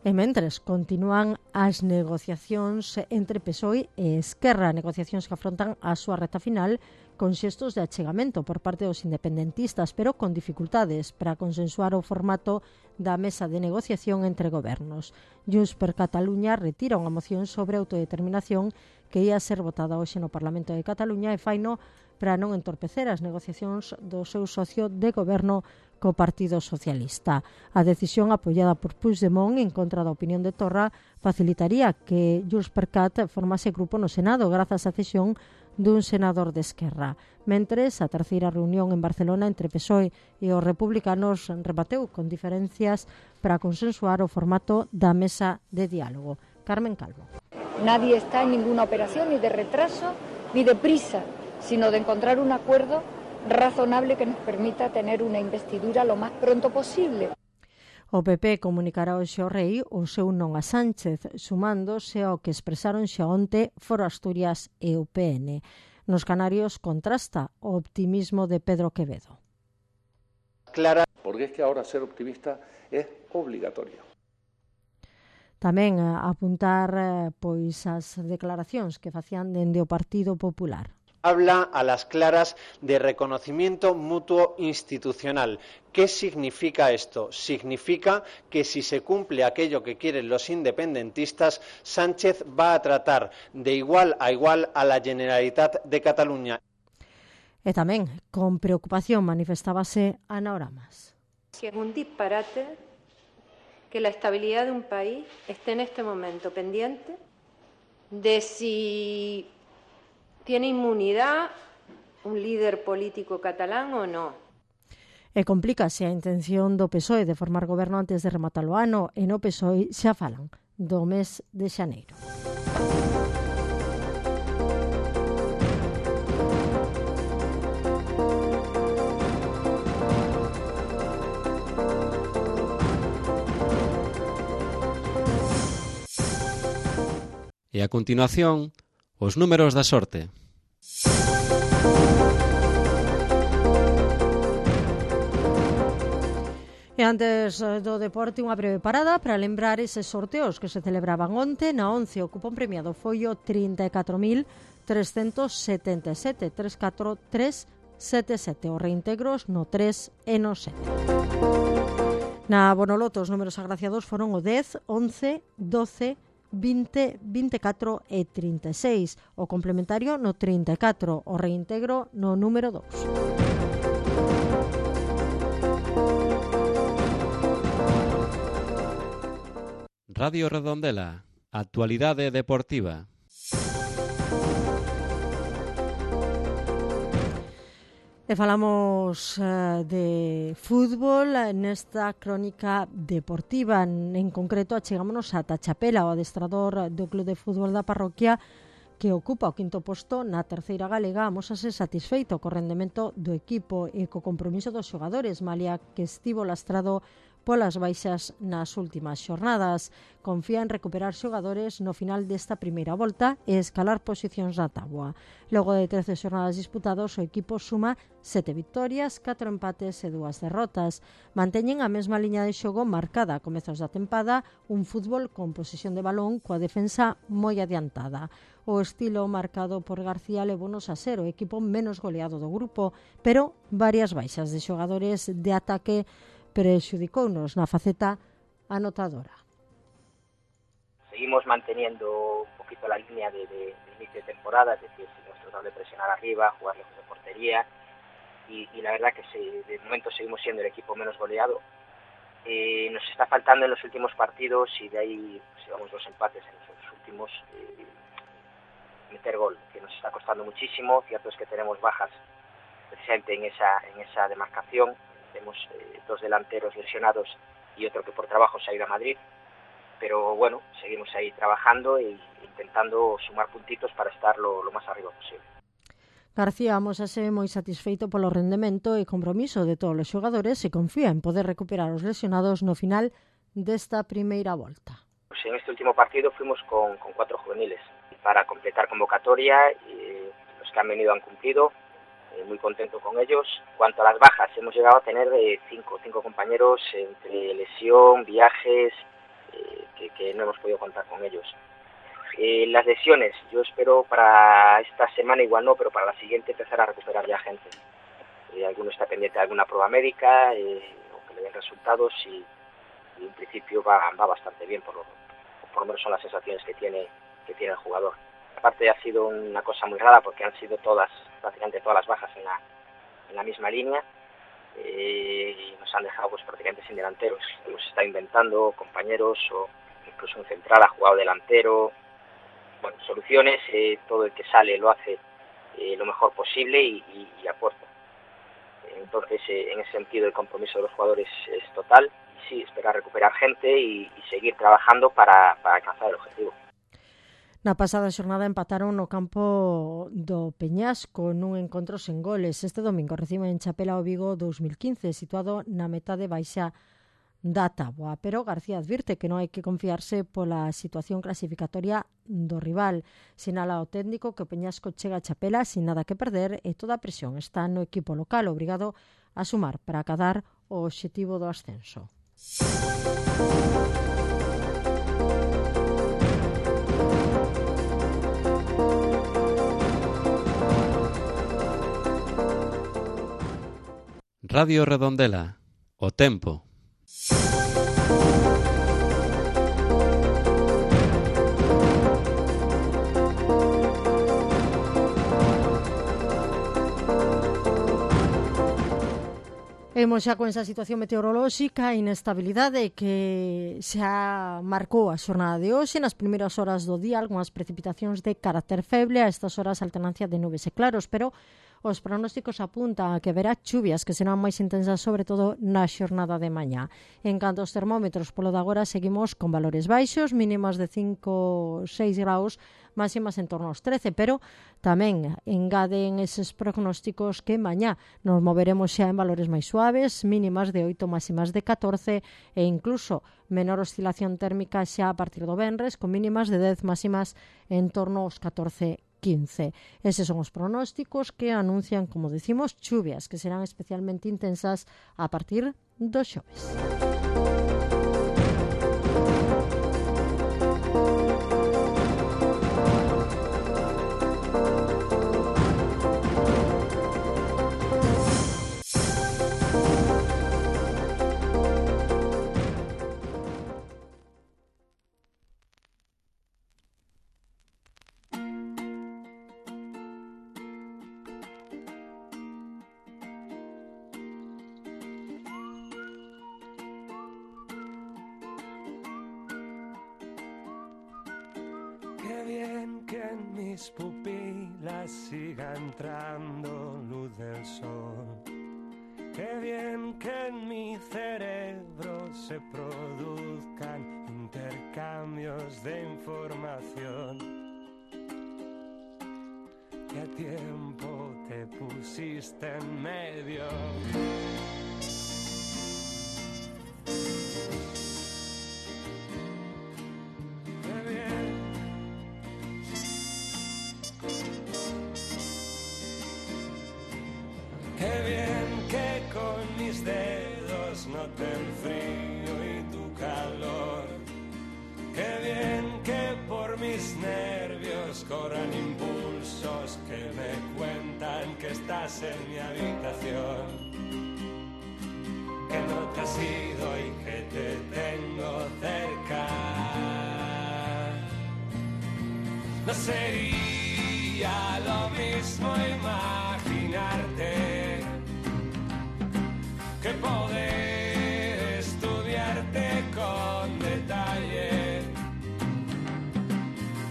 E mentres continúan as negociacións entre P S O E e Esquerra, negociacións que afrontan a súa reta final con xestos de achegamento por parte dos independentistas, pero con dificultades para consensuar o formato da mesa de negociación entre gobernos. Junts per Catalunya retira unha moción sobre autodeterminación que ia ser votada hoxe no Parlamento de Cataluña e faino para non entorpecer as negociacións do seu socio de goberno co Partido Socialista. A decisión apoiada por Puigdemont en contra da opinión de Torra facilitaría que Junts per Cat formase grupo no Senado grazas á cesión dun senador de Esquerra. Mentres, a terceira reunión en Barcelona entre P S O E e os republicanos rebateu con diferencias para consensuar o formato da mesa de diálogo. Carmen Calvo. Nadie está en ninguna operación ni de retraso ni de prisa, sino de encontrar un acuerdo razonable que nos permita tener una investidura lo más pronto posible. O P P comunicará hoxe ao Rei o seu non a Sánchez, sumándose ao que expresaron xa onte Foro Asturias e U P N. Nos Canarios contrasta o optimismo de Pedro Quevedo. Clara, porque es que ahora ser optimista es obligatorio. Tamén a apuntar pois as declaracións que facían dende o Partido Popular. Habla a las claras de reconocimiento mutuo institucional. ¿Qué significa esto? Significa que si se cumple aquello que quieren los independentistas, Sánchez va a tratar de igual a igual a la Generalitat de Cataluña. E tamén, con preocupación, manifestábase Ana Oramas. Si es un disparate que la estabilidad de un país esté en este momento pendiente de si tiene inmunidad un líder político catalán ou non. E complícase a intención do P S O E de formar goberno antes de rematar o ano, e no P S O E xa falan do mes de xaneiro. E a continuación, os números da sorte. E antes do deporte, unha breve parada para lembrar eses sorteos que se celebraban onte. Na once, o cupón premiado foi o trinta e catro mil trescentos setenta e sete, tres catro tres sete sete. Os reintegros no tres e no sete. Na Bonoloto, os números agraciados foron o dez, once, doce, vinte, vinte e catro e trinta e seis. O complementario no trinta e catro. O reintegro no número dous. Radio Redondela, actualidade deportiva. E falamos uh, de fútbol nesta crónica deportiva. En concreto, achegámonos ata Chapela, o adestrador do Club de Fútbol da parroquia, que ocupa o quinto posto na terceira galega, amosase satisfeito co rendemento do equipo e co compromiso dos xogadores, malia que estivo lastrado polas baixas nas últimas xornadas. Confía en recuperar xogadores no final desta primeira volta e escalar posicións na táboa. Logo de trece xornadas disputados, o equipo suma sete victorias, catro empates e dúas derrotas. Manteñen a mesma liña de xogo marcada a comezos da tempada, un fútbol con posesión de balón coa defensa moi adiantada. O estilo marcado por García levonos a ser o equipo menos goleado do grupo, pero varias baixas de xogadores de ataque prexudicounos na faceta anotadora. Seguimos manteniendo un poquito la línea de, de, de inicio de temporada, es decir, sin nuestro doble presionar arriba, jugar lejos de portería, y, y la verdad que se, de momento seguimos siendo el equipo menos goleado. Eh, nos está faltando en los últimos partidos, y de ahí pues, llevamos dos empates en los últimos, eh, meter gol, que nos está costando muchísimo. Cierto es que tenemos bajas precisamente en esa, en esa demarcación. Tenemos eh, dos delanteros lesionados y otro que por trabajo se ha ido a Madrid, pero bueno, seguimos ahí trabajando e intentando sumar puntitos para estar lo, lo más arriba posible. García amosase moi satisfeito polo rendemento e compromiso de todos os xogadores e confía en poder recuperar os lesionados no final desta primeira volta. Pues en este último partido fuimos con, con cuatro juveniles para completar convocatoria, y los que han venido han cumplido. Muy contento con ellos. Cuanto a las bajas, hemos llegado a tener eh, cinco, cinco compañeros entre lesión, viajes, eh, que, que no hemos podido contar con ellos. Eh, las lesiones, yo espero para esta semana igual no, pero para la siguiente empezar a recuperar ya gente. Eh, alguno está pendiente de alguna prueba médica, eh, o que le den resultados, y, y en principio va, va bastante bien, por lo, por lo menos son las sensaciones que tiene, que tiene el jugador. Aparte ha sido una cosa muy rara porque han sido todas, prácticamente todas las bajas en la, en la misma línea, eh, y nos han dejado pues prácticamente sin delanteros. Hemos estado inventando compañeros, o incluso un central ha jugado delantero. Bueno, soluciones, eh, todo el que sale lo hace eh, lo mejor posible y, y, y aporta. Entonces, eh, en ese sentido, el compromiso de los jugadores es total. Y sí, esperar recuperar gente y, y seguir trabajando para, para alcanzar el objetivo. Na pasada xornada empataron no campo do Peñasco nun encontro sen goles. Este domingo reciben en Chapela o Vigo dous mil quince, situado na metade baixa da táboa. Pero García advirte que non hai que confiarse pola situación clasificatoria do rival. Sinala o técnico que o Peñasco chega a Chapela sin nada que perder e toda a presión está no equipo local, obrigado a sumar para acadar o obxectivo do ascenso. Radio Redondela, o tempo. Imos xa con esa situación meteorolóxica, inestabilidade que xa marcou a xornada de hoxe. Nas primeiras horas do día, algunhas precipitacións de carácter feble, a estas horas alternancia de nubes e claros, pero os pronósticos apuntan a que haberá chuvias que serán máis intensas, sobre todo na xornada de mañá. En canto aos termómetros, polo de agora seguimos con valores baixos, mínimas de cinco, seis graus, máximas en torno aos trece, pero tamén engaden eses prognósticos que mañá nos moveremos xa en valores máis suaves, mínimas de oito, máximas de catorce e incluso menor oscilación térmica xa a partir do venres, con mínimas de dez, máximas en torno aos catorce, quince. Eses son os pronósticos que anuncian, como decimos, chuvias que serán especialmente intensas a partir do xoves. Mis pupilas siga entrando luz del sol. Qué bien que en mi cerebro se produzcan intercambios de información. ¿Qué tiempo te pusiste en medio? Dedos noten frío y tu calor. Qué bien que por mis nervios corran impulsos que me cuentan que estás en mi habitación, que no te has ido y que te tengo cerca. No sería lo mismo imaginarte que poder estudiarte con detalle.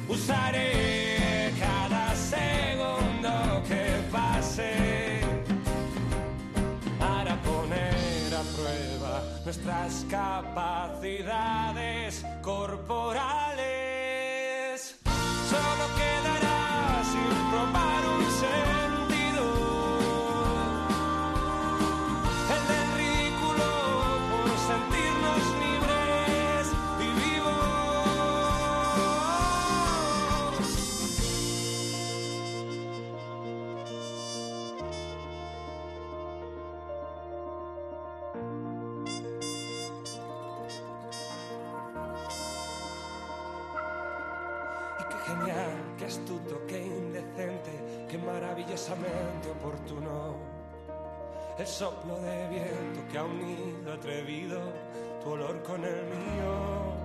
Usaré cada segundo que pase para poner a prueba nuestras capacidades corporales. Solo quedará sin probar un sentido. Genial, qué astuto, qué indecente, qué maravillosamente oportuno. El soplo de viento que ha unido atrevido tu olor con el mío.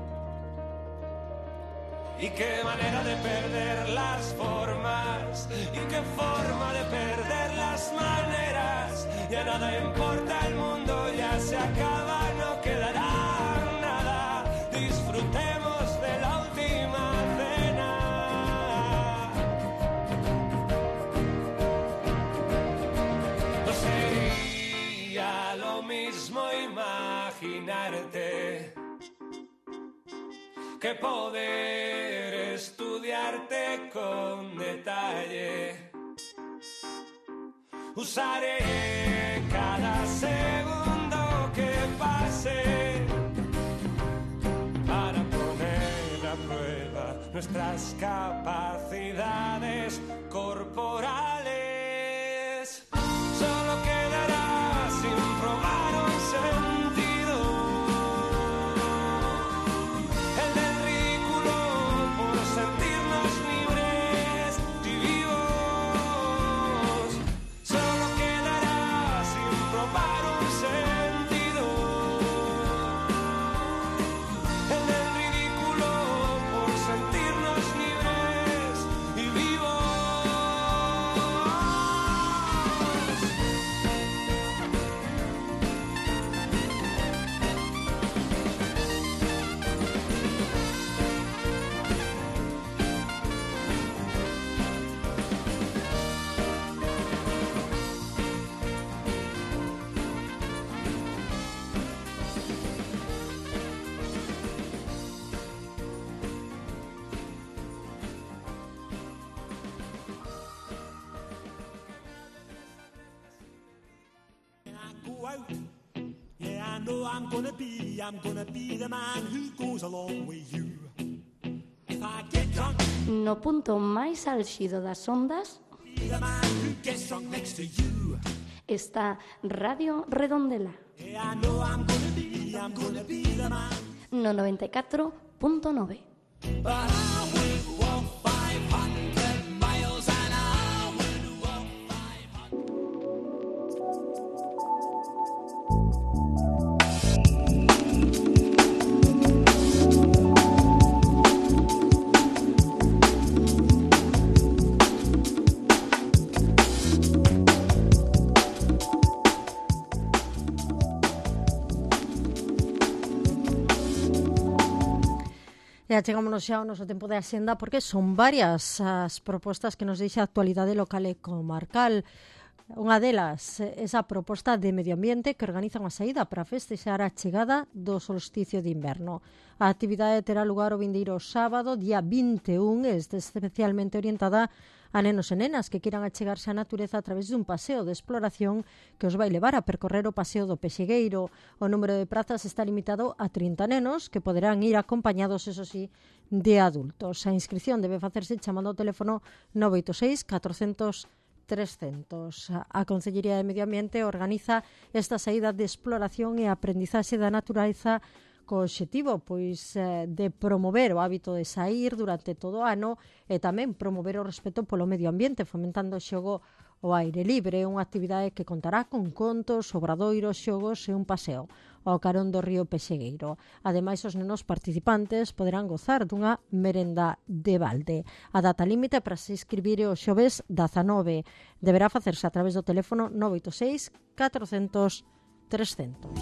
Y qué manera de perder las formas, y qué forma de perder las maneras. Ya nada importa, el mundo ya se acaba, no quedará nada. Disfrutemos de la última cena. No sería lo mismo imaginarte que poder estudiarte con detalle. Usaré cada segundo que pase para poner a prueba nuestras capacidades corporales. Solo quedará sin probar un sentido, el del ridículo por sentirnos libres y vivos. Solo quedará sin probar un know I'm gonna be, I'm gonna be the man who goes along with you. If I get drunk, no punto máis álxido das ondas be the man who gets drunk next to you. Está Radio Redondela. Yeah, I know I'm gonna be, I'm gonna be the man. No noventa e catro punto nove. But I will walk five hundred miles and I will walk five E achegámonos xa ao noso tempo de axenda porque son varias as propostas que nos deixa a actualidade local e comarcal. Unha delas, esa proposta de medio ambiente que organiza unha saída para festexar a chegada do solsticio de inverno. A actividade terá lugar o vindeiro sábado, día vinte e un, e este especialmente orientada a nenos e nenas que queiran achegarse á natureza a través dun paseo de exploración que os vai levar a percorrer o paseo do Pexegueiro. O número de prazas está limitado a trinta nenos que poderán ir acompañados, eso sí, de adultos. A inscripción debe facerse chamando ao teléfono nove oito seis catrocentos trescentos. A Consellería de Medio Ambiente organiza esta saída de exploración e aprendizaxe da natureza co obxectivo pois, eh, de promover o hábito de saír durante todo o ano e tamén promover o respeto polo medio ambiente, fomentando o xogo ao aire libre, unha actividade que contará con contos, obradoiros, xogos e un paseo ao carón do río Pexegueiro. Ademais, os nenos participantes poderán gozar dunha merenda de balde. A data límite para se inscribir é o xoves dezanove. Deberá facerse a través do teléfono nove oito seis catrocentos trescentos.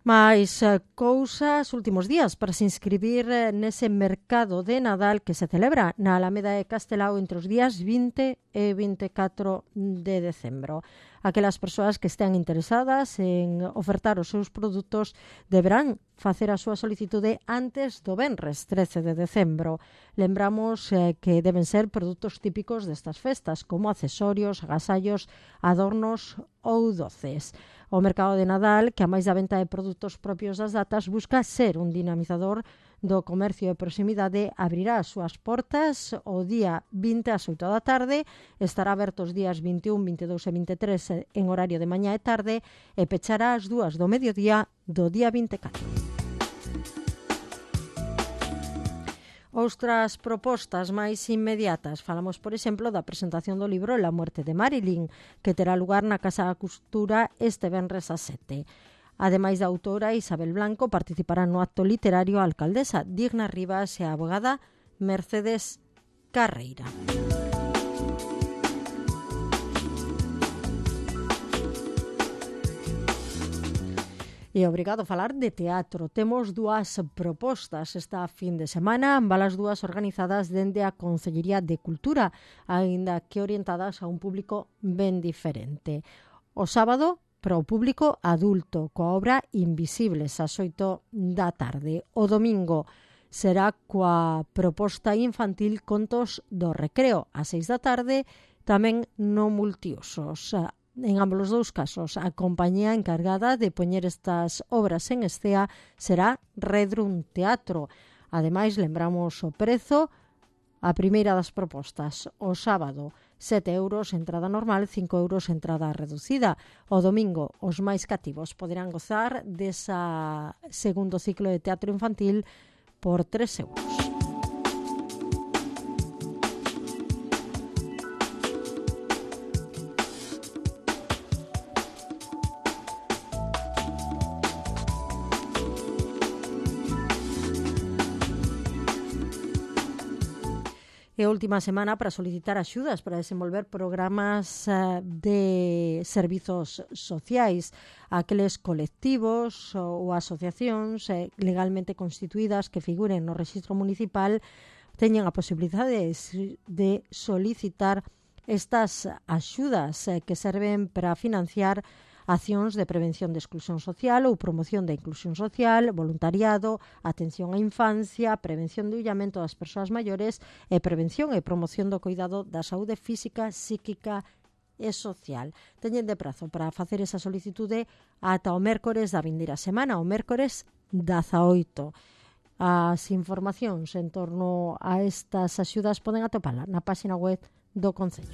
Mais cousas últimos días para se inscribir nese mercado de Nadal que se celebra na Alameda de Castelao entre os días vinte e vinte e catro de decembro. Aquelas persoas que estean interesadas en ofertar os seus produtos deberán facer a súa solicitude antes do venres trece de decembro. Lembramos eh, que deben ser produtos típicos destas festas, como accesorios, agasallos, adornos ou doces. O mercado de Nadal, que a máis da venta de produtos propios das datas, busca ser un dinamizador do comercio de proximidade, abrirá as súas portas o día vinte ás oito da tarde, estará aberto os días vinte e un, vinte e dous e vinte e tres en horario de mañá e tarde e pechará as dúas do mediodía do día vinte e catro. Outras propostas máis inmediatas. Falamos, por exemplo, da presentación do libro La muerte de Marilyn, que terá lugar na Casa da Cultura este venres a sete. Ademais da autora Isabel Blanco, participarán no acto literario a alcaldesa Digna Rivas e a abogada Mercedes Carreira. E obrigado a falar de teatro. Temos dúas propostas esta fin de semana, ambas as dúas organizadas dende a Consellería de Cultura, aínda que orientadas a un público ben diferente. O sábado, para o público adulto, coa obra Invisibles, ás oito da tarde. O domingo será coa proposta infantil Contos do Recreo, ás seis da tarde, tamén no multiusos. En ambos os dous casos, a compañía encargada de poñer estas obras en escena será Redrum Teatro. Ademais, lembramos o prezo, a primeira das propostas, o sábado, sete euros entrada normal, cinco euros entrada reducida. O domingo, os máis cativos poderán gozar desa segundo ciclo de teatro infantil por tres euros. E a última semana para solicitar axudas para desenvolver programas uh, de servizos sociais a aqueles colectivos ou asociacións eh, legalmente constituídas que figuren no rexistro municipal teñen a posibilidade de, de solicitar estas axudas eh, que serven para financiar accións de prevención de exclusión social ou promoción da inclusión social, voluntariado, atención á infancia, prevención do illamento das persoas maiores e prevención e promoción do cuidado da saúde física, psíquica e social. Teñen de prazo para facer esa solicitude ata o mércores da vindeira semana, o mércores dezaoito. As informacións en torno a estas axudas poden atopala na página web do Concello.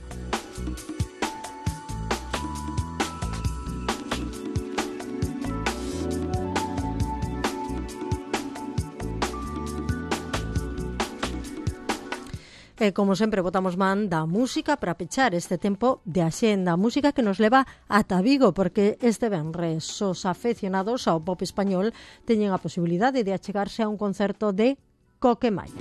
E, como sempre, botamos man da música para pechar este tempo de axenda. Música que nos leva ata Vigo, porque este venres os afeccionados ao pop español teñen a posibilidade de achegarse a un concerto de Coquemalla.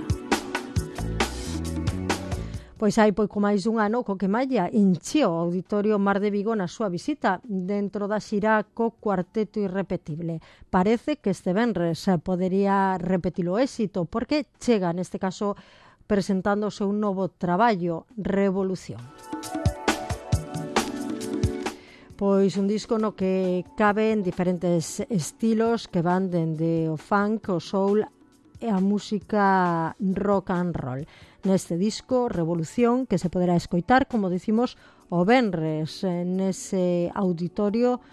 Pois hai pouco máis dun ano, Coquemalla encheu o Auditorio Mar de Vigo na súa visita dentro da xira co Cuarteto Irrepetible. Parece que este venres podería repetir o éxito, porque chega, neste caso, presentando o seu novo traballo, Revolución. Pois un disco no que caben diferentes estilos que van dende o funk, o soul e a música rock and roll. Neste disco, Revolución, que se poderá escoitar, como dicimos, o venres nese auditorio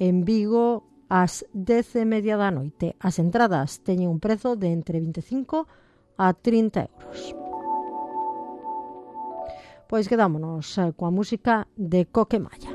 en Vigo ás dez e media da noite. As entradas teñen un prezo de entre vinte e cinco a trinta euros. Pois quedámonos coa música de Coquemalla.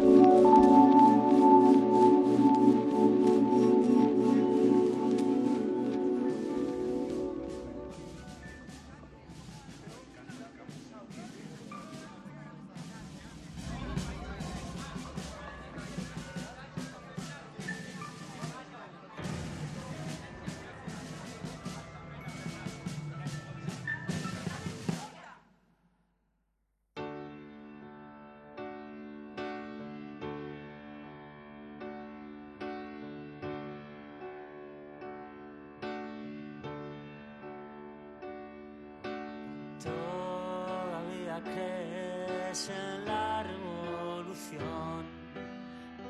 Todavía crees en la revolución,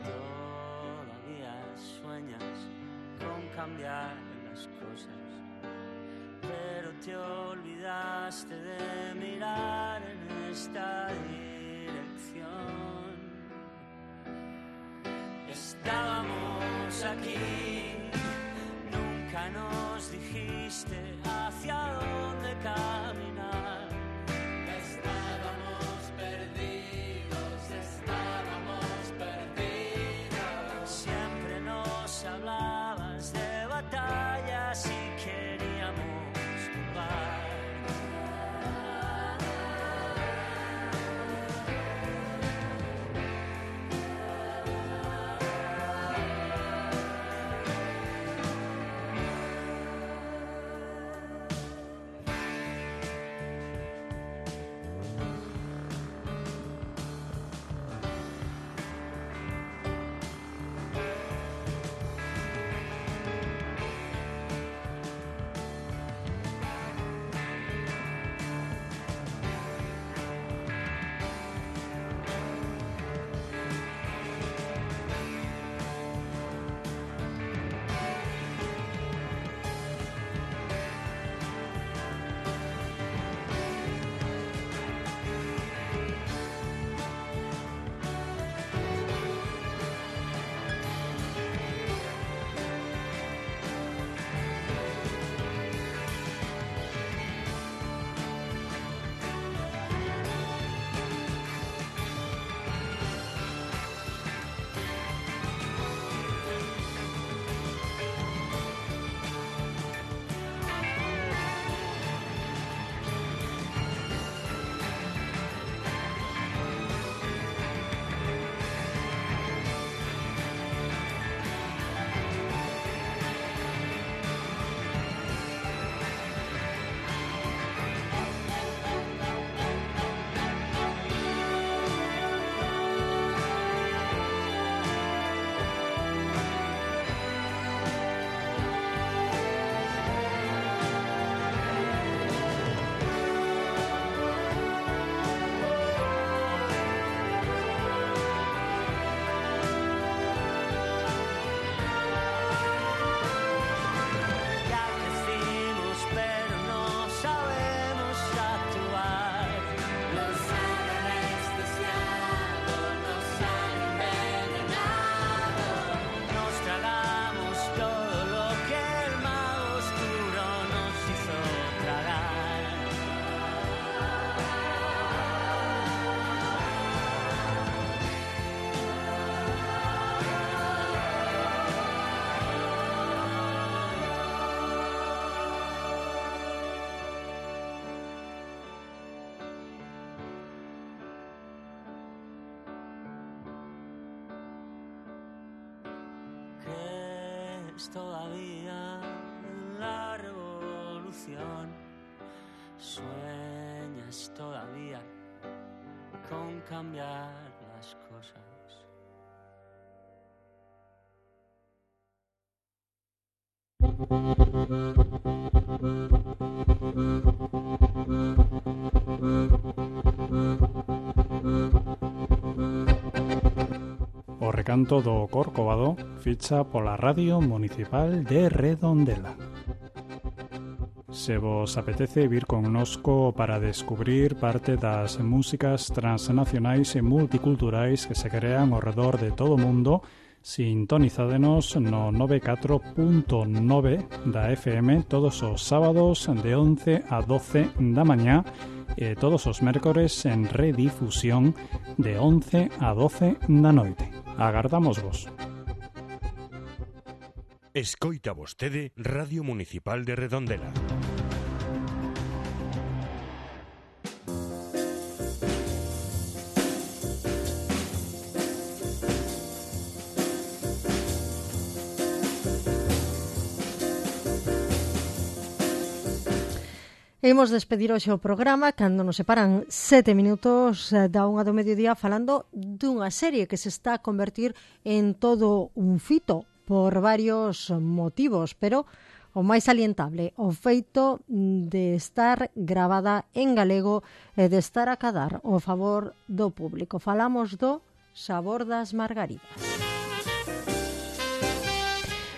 todavía sueñas con cambiar las cosas, pero te olvidaste de mirar en esta dirección. Estábamos aquí, nunca nos dijiste hacia dónde caminar. Estábamos perdidos, estábamos perdidos. Siempre nos hablabas de batallas y queríamos jugar. sueñas todavía en la revolución, sueñas todavía con cambiar las cosas. O recanto do Corcovado ficha pola Radio Municipal de Redondela. Se vos apetece vir connosco para descubrir parte das músicas transnacionais e multiculturais que se crean ao redor de todo o mundo, sintonizádenos no noventa e catro punto nove da F M todos os sábados de once a doce da mañá e todos os mércores en redifusión de once a doce da noite. Agardamos vos. Escoita vostede Radio Municipal de Redondela. Imos despedir hoxe o programa cando nos separan sete minutos da unha do mediodía falando dunha serie que se está a convertir en todo un fito por varios motivos, pero o máis salientable, o feito de estar gravada en galego e de estar a cadar o favor do público. Falamos do Sabor das Margaridas.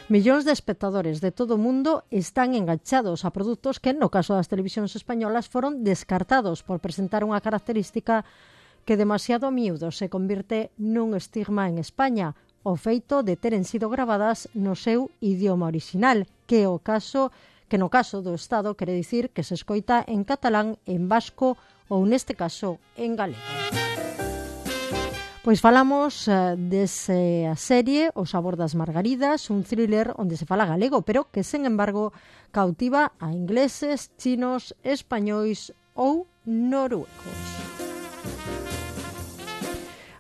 Millóns de espectadores de todo o mundo están enganchados a produtos que, no caso das televisións españolas, foron descartados por presentar unha característica que demasiado a miúdo se convirte nun estigma en España, o feito de teren sido gravadas no seu idioma orixinal, que o caso que no caso do Estado quere dicir que se escoita en catalán, en vasco ou, neste caso, en galego. Pois falamos uh, desa serie O Sabor das Margaridas, un thriller onde se fala galego, pero que, sen embargo, cautiva a ingleses, chinos, españois ou noruegos.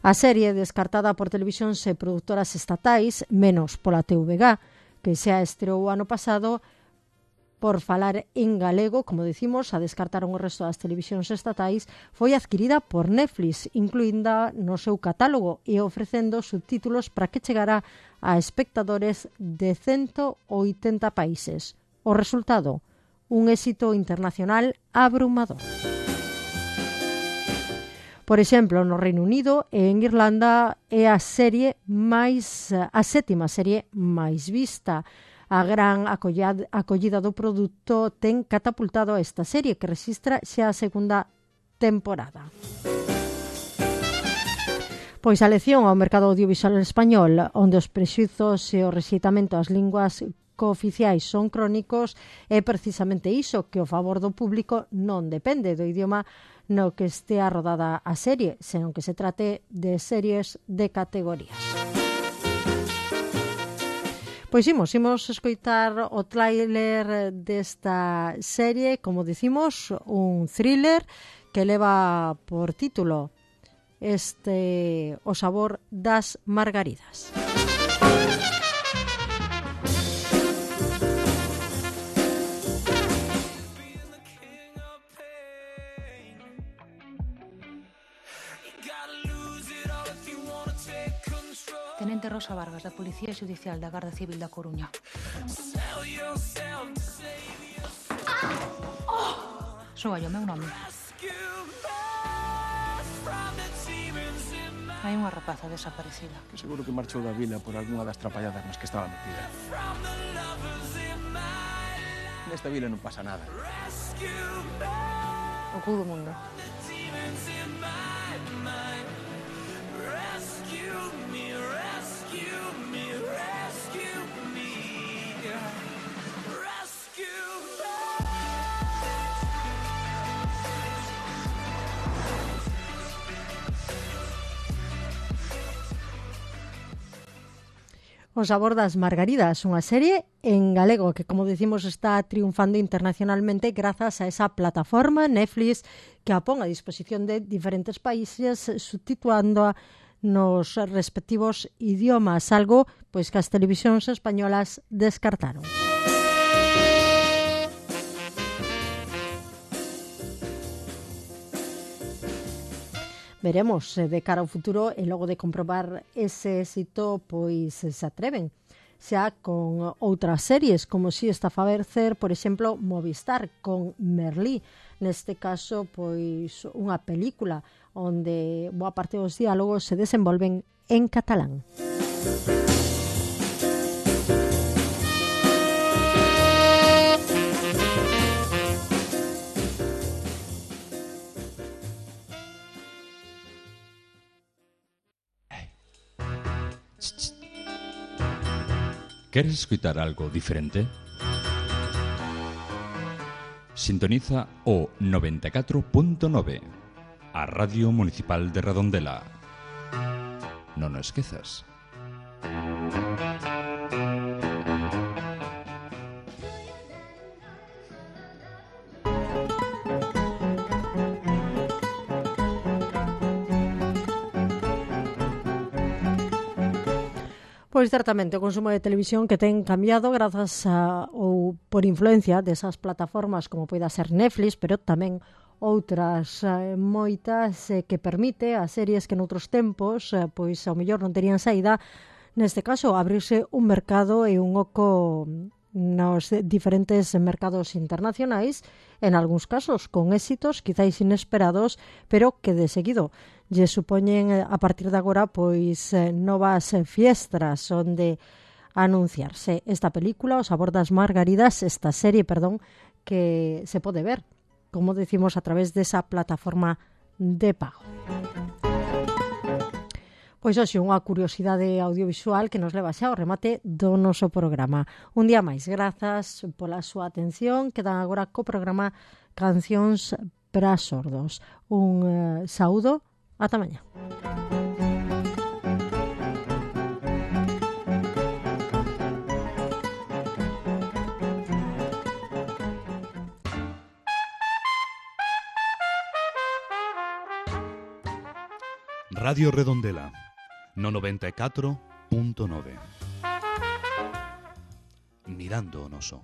A serie, descartada por televisións e produtoras estatais, menos pola T V G, que xa estreou o ano pasado, por falar en galego, como decimos, a descartaron o resto das televisións estatais, foi adquirida por Netflix, incluínda no seu catálogo e ofrecendo subtítulos para que chegara a espectadores de ciento oitenta países. O resultado, un éxito internacional abrumador. Por exemplo, no Reino Unido e en Irlanda é a serie máis a sétima serie máis vista. A gran acollida, acollida do produto ten catapultado a esta serie, que rexistra xa a segunda temporada. Pois a lección ao mercado audiovisual español, onde os prexuizos e o rexeitamento ás linguas cooficiais son crónicos, é precisamente iso, que o favor do público non depende do idioma no que estea rodada a serie, senón que se trate de series de categorías. Pois imos, imos escoitar o tráiler desta serie, como dicimos, un thriller que leva por título este O Sabor das Margaridas. Tenente Rosa Vargas, da Policía Xudicial da Garda Civil da Coruña. Soa o meu nome. Hai unha rapaza desaparecida. Que seguro que marchou da vila por algunha das trapalladas nas que estaba metida. Nesta vila non pasa nada. O cu do mundo. O Sabor das Margaridas, unha serie en galego que, como decimos, está triunfando internacionalmente grazas a esa plataforma Netflix que a pon a disposición de diferentes países, subtitulándoa nos respectivos idiomas, algo pois que as televisións españolas descartaron. Veremos de cara ao futuro e logo de comprobar ese éxito, pois se atreven xa con outras series, como si está a facer, por exemplo, Movistar con Merlí, neste caso, pois unha película onde boa parte dos diálogos se desenvolven en catalán. ¿Quieres escuchar algo diferente? Sintoniza o noventa e catro punto nove, a Radio Municipal de Redondela. Non o esquezas. Pois certamente o consumo de televisión que ten cambiado grazas a, ou por influencia desas plataformas como poida ser Netflix, pero tamén outras eh, moitas eh, que permite a series que noutros tempos eh, pois ao mellor non terían saída, neste caso abrirse un mercado e un oco nos diferentes mercados internacionais, en algúns casos con éxitos quizáis inesperados, pero que de seguido lle supoñen a partir de agora pois novas fiestras onde anunciarse esta película, O sabor das margaridas, esta serie, perdón, que se pode ver, como decimos, a través desa plataforma de pago. Pois hoxe unha curiosidade audiovisual que nos leva xa ao remate do noso programa. Un día máis, grazas pola súa atención. Quedan agora co programa Cancións para Sordos. Un uh, saúdo, ata mañá. Radio Redondela, no noventa e catro punto nove. Mirando o noso.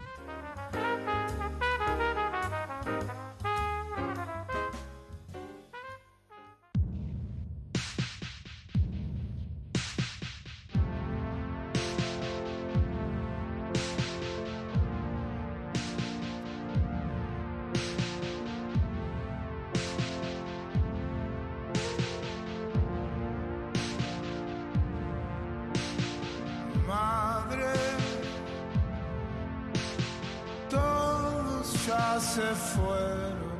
Madre, todos ya se fueron.